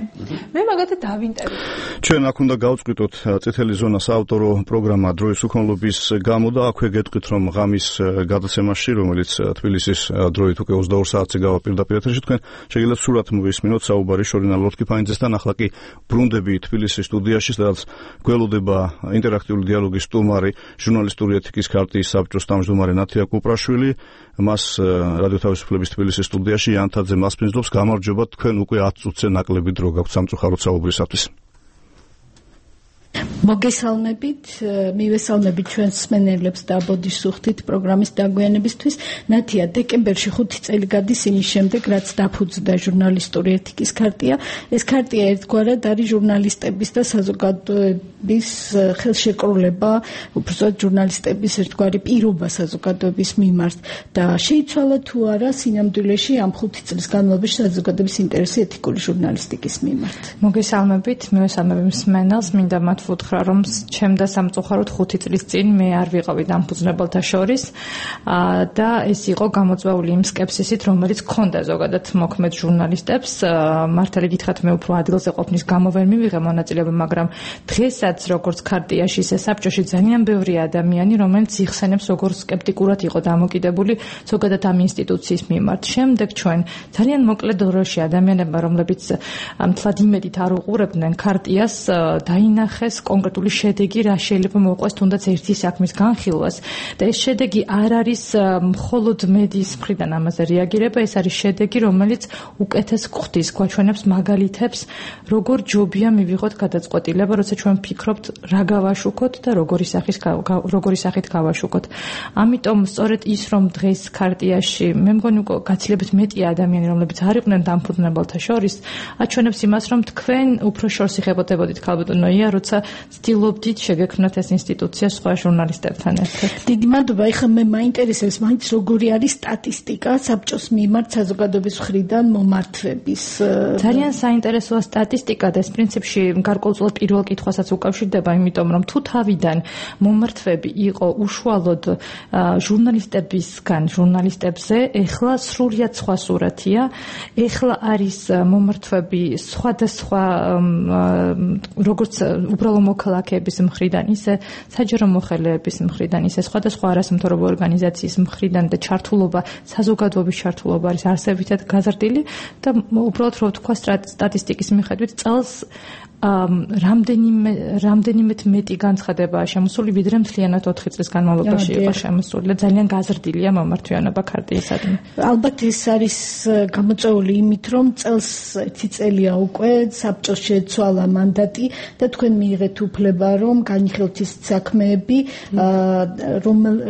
მე მაგალითად დავინტერვიუე. ჩვენ აქ უნდა გავწყვიტოთ წითელი ზონა საავტორო პროგრამა დროის უქონლობის გამო და აქვე გეტყვით რომ ღამის გადაცემაში, რომელიც თბილისის დროით უკვე 22 საათზე გავა პირდაპირ ეთერში, თქვენ შეგიძლიათ სურათ მოვისმინოთ საუბარი შორინა ლორთქიფანიძესთან, ახლა კი ბრუნდები თბილისის სტუდიაში, სადაც გველოდება ინტერაქტიული დიალოგის სტუმარი, ჟურნალისტური ეთიკის ქარტიის საბჭოს თავმჯდომარე ნათია კუპრაშვილი. მას რადიო თავისუფლების თბილისის სტუდიაში იანთაძე მასპინძლობს. გამარჯობა, თქვენ უკვე 10 წუთზე ნაკლები დრო გაქვთ სამწუხაროდ საუბრისათვის. მოგესალმებით, მივესალმებით ჩვენს მსმენელებს და ბოდიშსუხთით პროგრამის დაგვიანებისთვის. ნათია, დეკემბერში 5 წელი გადის იმის შემდეგ, რაც დაფუძნდა ჟურნალისტური ეთიკის ქარტია. ეს ქარტია ერთგვარად არის ჟურნალისტების და საზოგადოების ხელშეკრულება, უბრალოდ ჟურნალისტების ერთგვარი პირობა საზოგადოების მიმართ და შეიცვალა თუ არა სინამდვილეში ამ 5 წლის განმავლობაში საზოგადოების ინტერესი ეთიკური ჟურნალისტიკის მიმართ. მოგესალმებით, მივესალმები მსმენელს, მინდა მათ ვუთხრა, რომ ჩემ და სამწუხაროდ 5 წლის წინ მე არ ვიყავი დამფუძნებელთა შორის და ეს იყო გამოწვეული იმ სკეპსისით, რომელიც ჰქონდა ზოგადად მოქმედ ჟურნალისტებს. მართალი გითხრათ, მე უფრო ადგილზე ყოფნის გამო ვერ მივიღე მონაწილეობა, მაგრამ დღესაც როგორც ქარტიაში, ისე საბჭოში ძალიან ბევრი ადამიანი, რომელიც იხსენებს, როგორც სკეპტიკურად იყო დამოკიდებული ზოგადად ამ ინსტიტუციის მიმართ. შემდეგ ჩვენ ძალიან მოკლე დროში ადამიანებმა, რომლებიც მთლად იმედით არ უყურებდნენ ქარტიას, დაინახეს კონკრეტული შედეგი, რა შეიძლება მოუყვეს თუნდაც ერთი საქმის განხილვას და ეს შედეგი არ არის მხოლოდ მედიის მხრიდან ამაზე რეაგირება, ეს არის შედეგი, რომელიც უკეთეს ხვდის, გვაჩვენებს მაგალითებს, როგორ ჯობია მივიღოთ გადაწყვეტილება, როცა ჩვენ ვფიქრობთ, რა გავაშუქოთ და როგორი სახით გავაშუქოთ. ამიტომ სწორედ ის, რომ დღეს ქარტიაში მე მგონი უკვე გაცილებით მეტია ადამიანი, რომლებიც არ იყვნენ დამფუძნებელთა შორის, აჩვენებს იმას, რომ თქვენ უფრო შორს იხებოდებოდით ქალბატონოია, როცა ცდილობდით შეგექმნათ ეს ინსტიტუცია სხვა ჟურნალისტებთან ერთად. დიდი მადლობა. ეხლა მე მაინტერესებს მაინც როგორი არის სტატისტიკა საბჭოს მიმართ საზოგადოების მხრიდან მომართვების. ძალიან საინტერესოა სტატისტიკა და ეს პრინციპში გარკვეულწილად პირველ კითხვასაც უკავშირდება, იმიტომ რომ თუ თავიდან მომართვები იყო უშუალოდ ჟურნალისტებისგან ჟურნალისტებზე, ეხლა სრულიად სხვა სურათია. ეხლა არის მომართვები სხვადასხვა როგორც უბრალო მოქალაქეების მხრიდან, ისე საჯარო მოხელეების მხრიდან, ისე სხვადასხვა არასამთავრობო ორგანიზაციის მხრიდან და ჩართულობა, საზოგადოების ჩართულობა არის არსებითად გაზრდილი და უბრალოდ რო ვთქვა სტატისტიკის მიხედვით წელს რამდენიმეთ მეტი განცხადებაა შემოსული, ვიდრე მთლიანად 4 წლის განმავლობაში იყო შემოსული და ძალიან გაზრდილია მომართვიანობა ქარტიისადმი. ალბათ ეს არის გამოწვეული იმით, რომ წელს 1 წელია უკვე საბჭოს შეცვალა მანდატი და თქვენ მიიღეთ უფლება, რომ განიხილოთ ის საქმეები,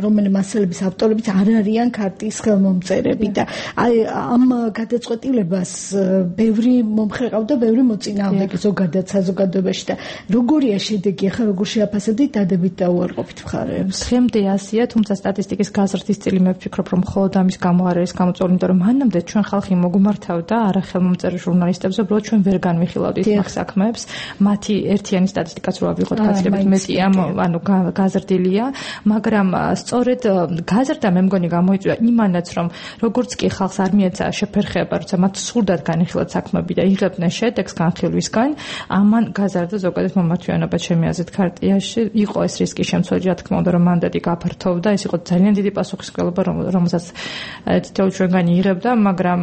რომელი მასალების ავტორებიც არ არიან ქარტიის ხელმომწერები და აი ამ გადაწყვეტილებას ბევრი მომხრე ყავდა, ბევრი მოწინააღმდეგე ზოგადად საზოგადოებაში და როგორია შედეგი, ახლა როგორ შეაფასებთ დადებით და უარყოფით მხარეებს? დღემდე ასია, თუმცა სტატისტიკის გაზრდის წილი მე ვფიქრობ, რომ მხოლოდ ამის გამო არ არის გამოწვეული, იმიტომ რომ მანამდე ჩვენ ხალხი მოგუმართავდა არახელმომწერი ჟურნალისტებზე, უბრალოდ ჩვენ ვერ განვიხილავდით მაგ საქმეებს. მათი ერთიანი სტატისტიკაც რო ავიღოთ, გაცილებით მეტია, ანუ გაზრდილია, მაგრამ სწორედ გაზრდა მე მგონი გამოიწვია იმანაც, რომ როგორც კი ხალხს არ მიეცა შეფერხება, როცა მათ სურდათ განიხილოთ საქმეები და იღებდნენ შედეგს განხილვისგან, ამან გაზარდა ზოგადად მომართვიანობა ჩემი აზრით ქარტიაში. იყო ეს რისკი შემცველი, რა თქმა უნდა, რომ მანდატი გაფართოვდა, ეს იყო ძალიან დიდი პასუხისმგებლობა, რომელსაც თითოეულ ჩვენგანი იღებდა, მაგრამ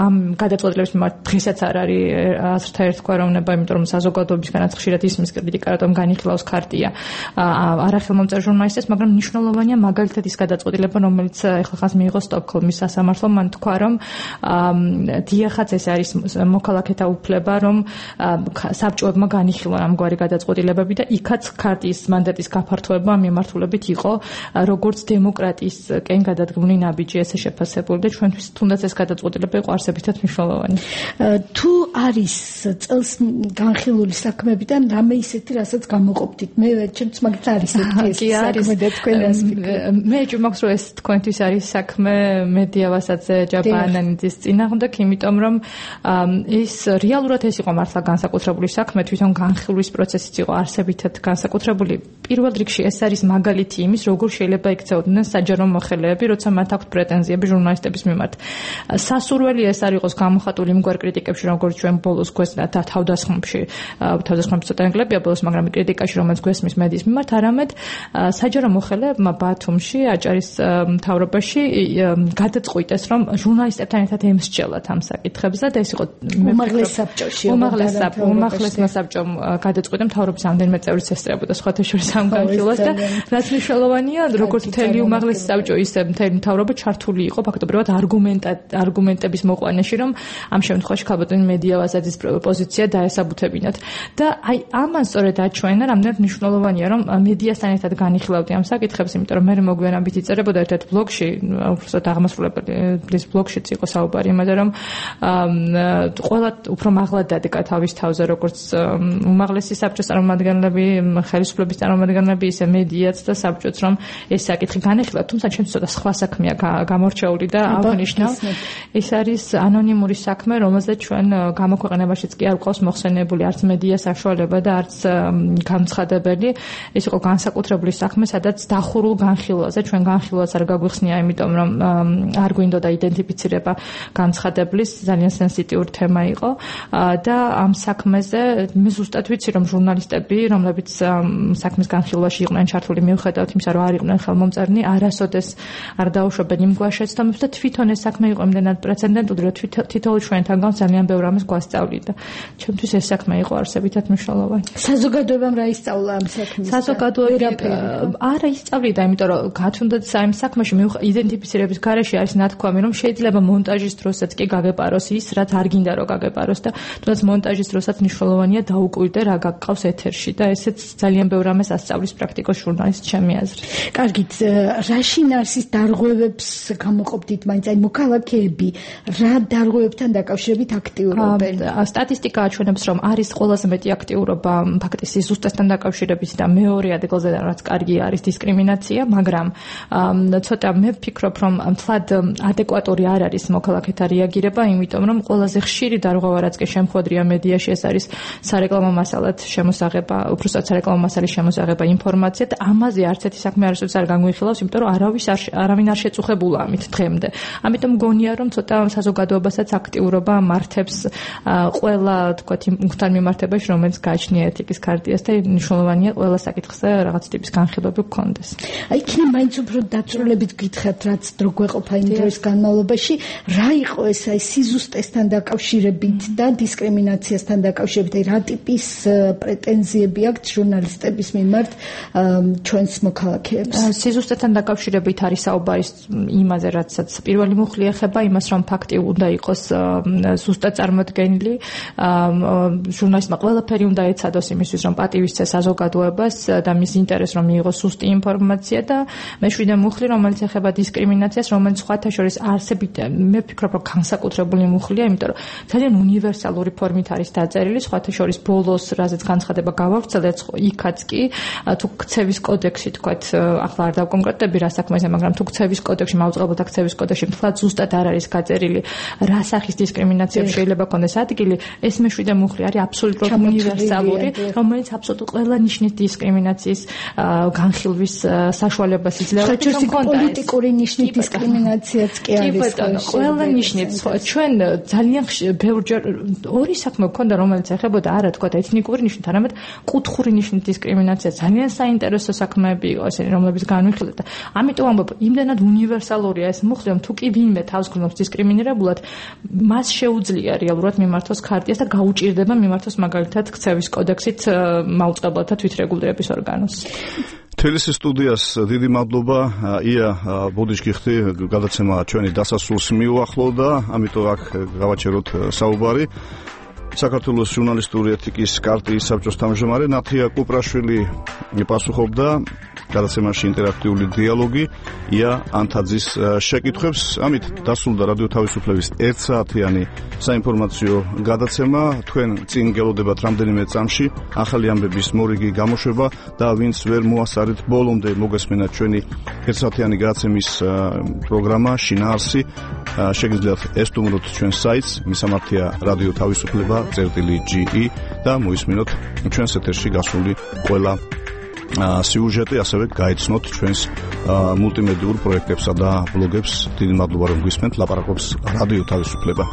ამ გადაწყვეტილების მიმართ დღესაც არ არის აზრთა ერთგვაროვნება, იმიტომ რომ საზოგადოებისგანაც ხშირად ისმის კრიტიკა, რომ განიხილავს ქარტია არახელმომწერ ჟურნალისტებს, მაგრამ მნიშვნელოვანია მაგალითად ის გადაწყვეტილება, რომელიც ეხლა ხანს მიიღო სტოკჰოლმის სასამართლომ, მან თქვა, რომ დიახაც ეს არის მოქალაქეთა უფლება, რომ საბჭოებმა განიხილონ ამგვარი გადაწყვეტილებები და იქაც ქარტიის მანდატის გაფართოება მიმართულებით იყო როგორც დემოკრატიისკენ გადადგმული ნაბიჯი, ესე შეფასებული და ჩვენთვის თუნდაც ეს გადაწყვეტილება იყო არსებითად მნიშვნელოვანი. თუ არის წელს განხილული საქმეებიდან თან რამე ისეთი, რასაც გამოყოფდით. მე ჩემს მაგით არის ესეთი საქმე და თქვენ რას ფიქრობთ? მე ჯუმახს რომ ეს თქვენთვის არის საქმე მედიავასაც ჯაბანანიძის წინააღმდეგ, იმიტომ რომ ის რეალურად ეს იყო მართლა განსაკუთრებული საქმე, თვითონ განხილვის პროცესიც იყო არსებითად განსაკუთრებული. პირველ რიგში ეს არის მაგალითი იმის, როგორ შეიძლება იქცეოდნენ საჯარო მოხელეები, როცა მათ აქვთ პრეტენზიები ჟურნალისტების მიმართ. სასურველი ეს არ იყოს გამოხატული იმგვარ კრიტიკებში, როგორც ჩვენ ბოლოს გვესმით და თავდასხმებში ცოტა ენგლებია ბოლოს, მაგრამ კრიტიკაში, რომელიც გვესმის მედიის მიმართ, არამედ საჯარო მოხელეებმა ბათუმში, აჭარის მთავრობაში გადაწყვიტეს, რომ ჟურნალისტებთან ერთად ემსჯელათ ამ საკითხებზე და ეს იყო უმაღლეს საბჭოში. უმაღლესმა საბჭომ გადაწყვიტა მთავრობის ამდენიმე წევრიც ესწრებოდა სხვათა შორის ამ განხილვას და რაც მნიშვნელოვანია, როგორც მთელი უმაღლესი საბჭო, ისე მთელი მთავრობა ჩართული იყო ფაქტობრივად არგუმენტების მოყვანაში, რომ ამ შემთხვევაში ქაბატონი მედიავაზაძის პოზიცია დაესაბუთებინათ. და აი ამან სწორედ აჩვენა, რამდენად მნიშვნელოვანია, რომ მედიასთან ერთად განიხილავდი ამ საკითხებს, იმიტომ რომ მე მოგვიანებით იწერებოდა ერთ-ერთ ბლოგში, უბრალოდ აღმასრულებლის ბლოგშიც იყო საუბარი იმაზე, რომ ყველა უფრო მაღლად დადგა თავის თავზე, როგორც უმაღლესი საბჭოს წარმომადგენლები, ხელისუფლების წარმომადგენლები, ისე მედიაც და საბჭოც, რომ ეს საკითხი განეხილა, თუმცა ჩემს ცოტა სხვა საქმეა გამორჩეული და აღნიშნავ, ეს არის ანონიმური საქმე, რომელზეც ჩვენ გამოქვეყნებაშიც კი არ გვყავს მოხსენებული არც მედია საშუალება და არც გამცხადებელი. ეს იყო განსაკუთრებული საქმე, სადაც დახურულ განხილვაზე, ჩვენ განხილვას არ გაგვიხსნია, იმიტომ რომ არ გვინდოდა იდენტიფიცირება განცხადებლის, ძალიან სენსიტიური თემა იყო და ამ საქმეზე მე ზუსტად ვიცი, რომ ჟურნალისტები, რომლებიც საქმის განხილვაში იყვნენ ჩართული, მიუხედავად იმისა, რომ არ იყვნენ ხელმომწერნი, არასოდეს არ დაუშვებენ იმ გვარ შეცდომებს და თვითონ ეს საქმე იყო იმდენად პრეცედენტული, რომ თითოეულ ჩვენთანგან ძალიან ბევრ ამას გვასწავლიდა. ჩემთვის ეს საქმე იყო არსებითად მნიშვნელოვანი. საზოგადოებამ რა ისწავლა ამ საქმეს? საზოგადოება არა ისწავლიდა, იმიტომ რომ გათუნდაც ამ საქმეში იდენტიფიცირების გარეშე არის ნათქვამი, რომ შეიძლება მონტაჟის დროსაც კი გაგეპაროს ის, რაც არ გინდა რომ გაგეპაროს და თუნდაც მონტაჟის დროსაც მნიშვნელოვანია დაუკვირდე რა გაგყავს ეთერში და ესეც ძალიან ბევრ ამას ასწავლის პრაქტიკოს ჟურნალისტ ჩემი აზრით. კარგით, რა შინაარსის დარღვევებს გამოყოფდით მაინც, აი მოქალაქეები რა დარღვევებთან დაკავშირებით აქტიურობენ? სტატისტიკა აჩვენებს, რომ არის ყველაზე მეტი აქტიურობა ფაქტის სიზუსტესთან დაკავშირებით და მეორე ადგილზე რაც კარგი არის დისკრიმინაცია, მაგრამ ცოტა მე ვფიქრობ, რომ თლად ადეკვატური არ არის მოქალაქეთა რეაგირება, იმიტომ რომ ყველაზე ხშირი დარღვევა რაც კი შემხვედრია მედიაში, ეს არის სარეკლამო მასალად შემოსაღება, უბრალოდ სარეკლამო მასალის შემოსაღება ინფორმაცია და ამაზე არც ერთი საქმე არასოდეს არ განგვიხილავს, იმიტომ რომ არავინ არ შეწუხებულა ამით დღემდე. ამიტომ მგონია, რომ ცოტა საზოგადოებასაც აქტიურობა მართებს ყველა თქვათ იმ მუხთან მიმართებაში, რომელიც გააჩნია ეთიკის ქარტიას და მნიშვნელოვანია ყველა საკითხზე რაღაც ტიპის განხილვები გქონდეს. აი იქნებ მაინც უფრო დაწვრილებით გითხრათ, რაც დრო გვეყოფა იმ დროის განმავლობაში, რა იყო ეს აი სიზუსტესთან დაკავშირებით და დისკრიმინაციასთან დაკავშირებით, აი რა ტიპის პრეტენზიები აქვთ ჟურნალისტების მიმართ ჩვენს მოქალაქეებს? სიზუსტესთან დაკავშირებით არის საუბარი იმაზე, რაცაც პირველი მუხლი ეხება იმას, რომ ფაქტი უნდა იყოს ზუსტად წარმოდგენილი, ჟურნალისტმა ყველაფერი უნდა ეცადოს იმისთვის, რომ პატივისცეს საზოგადოებას და მის ინტერესს რომ მიიღოს ზუსტი ინფორმაცია და მეშვიდე მუხლი, რომელიც ეხება დისკრიმინაციას, რომელიც სხვათა შორის არსებით, მე ვფიქრობ, რომ განსაკუთრებული მუხლია, იმიტომ რომ ძალიან უნივერსალური ფორმით არის დაწერილი, სხვათა შორის ბოლოს, რაზეც განცხადება გავავრცელეთ, იქაც კი თუ ქცევის კოდექსი თქვათ, ახლა არ დავკონკრეტები რა საქმეზე, მაგრამ თუ ქცევის კოდექსში, მაუწყებლთა ქცევის კოდექსში მთლად ზუსტად არ არის გაწერილი რა სახის დისკრიმინაციებს შეიძლება ქონდეს ადგილი, ეს მეშვიდე მუხლი არის აბსოლუტურად უნივერსალური, რომელიც აბსოლუტურად ყველა ნიშნის დისკრიმინაციის განხილვის საშუალებას იძლევა. პოლიტიკური ნიშნის დისკრიმინაციაც კი არის. ყველა ნიშნით ჩვენ ძალიან ბევრჯერ ორი საქმე გქონდა, რომელიც ეხებოდა არა თქვა ეთნიკური ნიშნით, არამედ კუთხური ნიშნის დისკრიმინაცია. ძალიან საინტერესო საქმეები იყო ესენი, რომლებიც განვიხილეთ და ამიტომ ამბობ, იმდენად უნივერსალურია ეს მუხლი, რომ თუ კი ვინმე თავს გრძნობს დისკრიმინირებულად, მას შეუძლია რეალურად მიმართოს ქარტიას და გაუჭირდება მიმართოს მაგალითად ქცევის კოდექსით მაუწყებლთა თვითრეგულირების ორგანოს. თელეს სტუდიას დიდი მადლობა. ია ბოდიშკიხთი გადაცემა ჩვენი დასასრულს მიუახლოვდა, ამიტომ აქ გავაჩეროთ საუბარი. საქართველოს ჟურნალისტური ეთიკის კარტიის საბჭოს თავმჯდომარე ნათია კუპრაშვილი პასუხობდა გადაცემაში ინტერაქტიული დიალოგი. ია ანთაძის შეკითხვებს. ამით დასრულდა რადიო თავისუფლების 1 საათიანი საინფორმაციო გადაცემა. თქვენ წინ გელოდებათ რამდენიმე წამში ახალი ამბების მორიგი გამოშვება და ვინც ვერ მოასწარეთ ბოლომდე მოგესმენათ ჩვენი 1 საათიანი გადაცემის პროგრამა შინაარსი, შეგიძლიათ ესტუმროთ ჩვენს საიტს მისამართია რადიო თავისუფლება.ge და მოისმინოთ ჩვენს ეთერში გასული ყველა სიუჟეტი, ასევე გაიცნოთ ჩვენს მულტიმედიურ პროექტებსა და ბლოგებს. დიდი მადლობა რომ გვისმენთ. ლაპარაკობს რადიო თავისუფლება.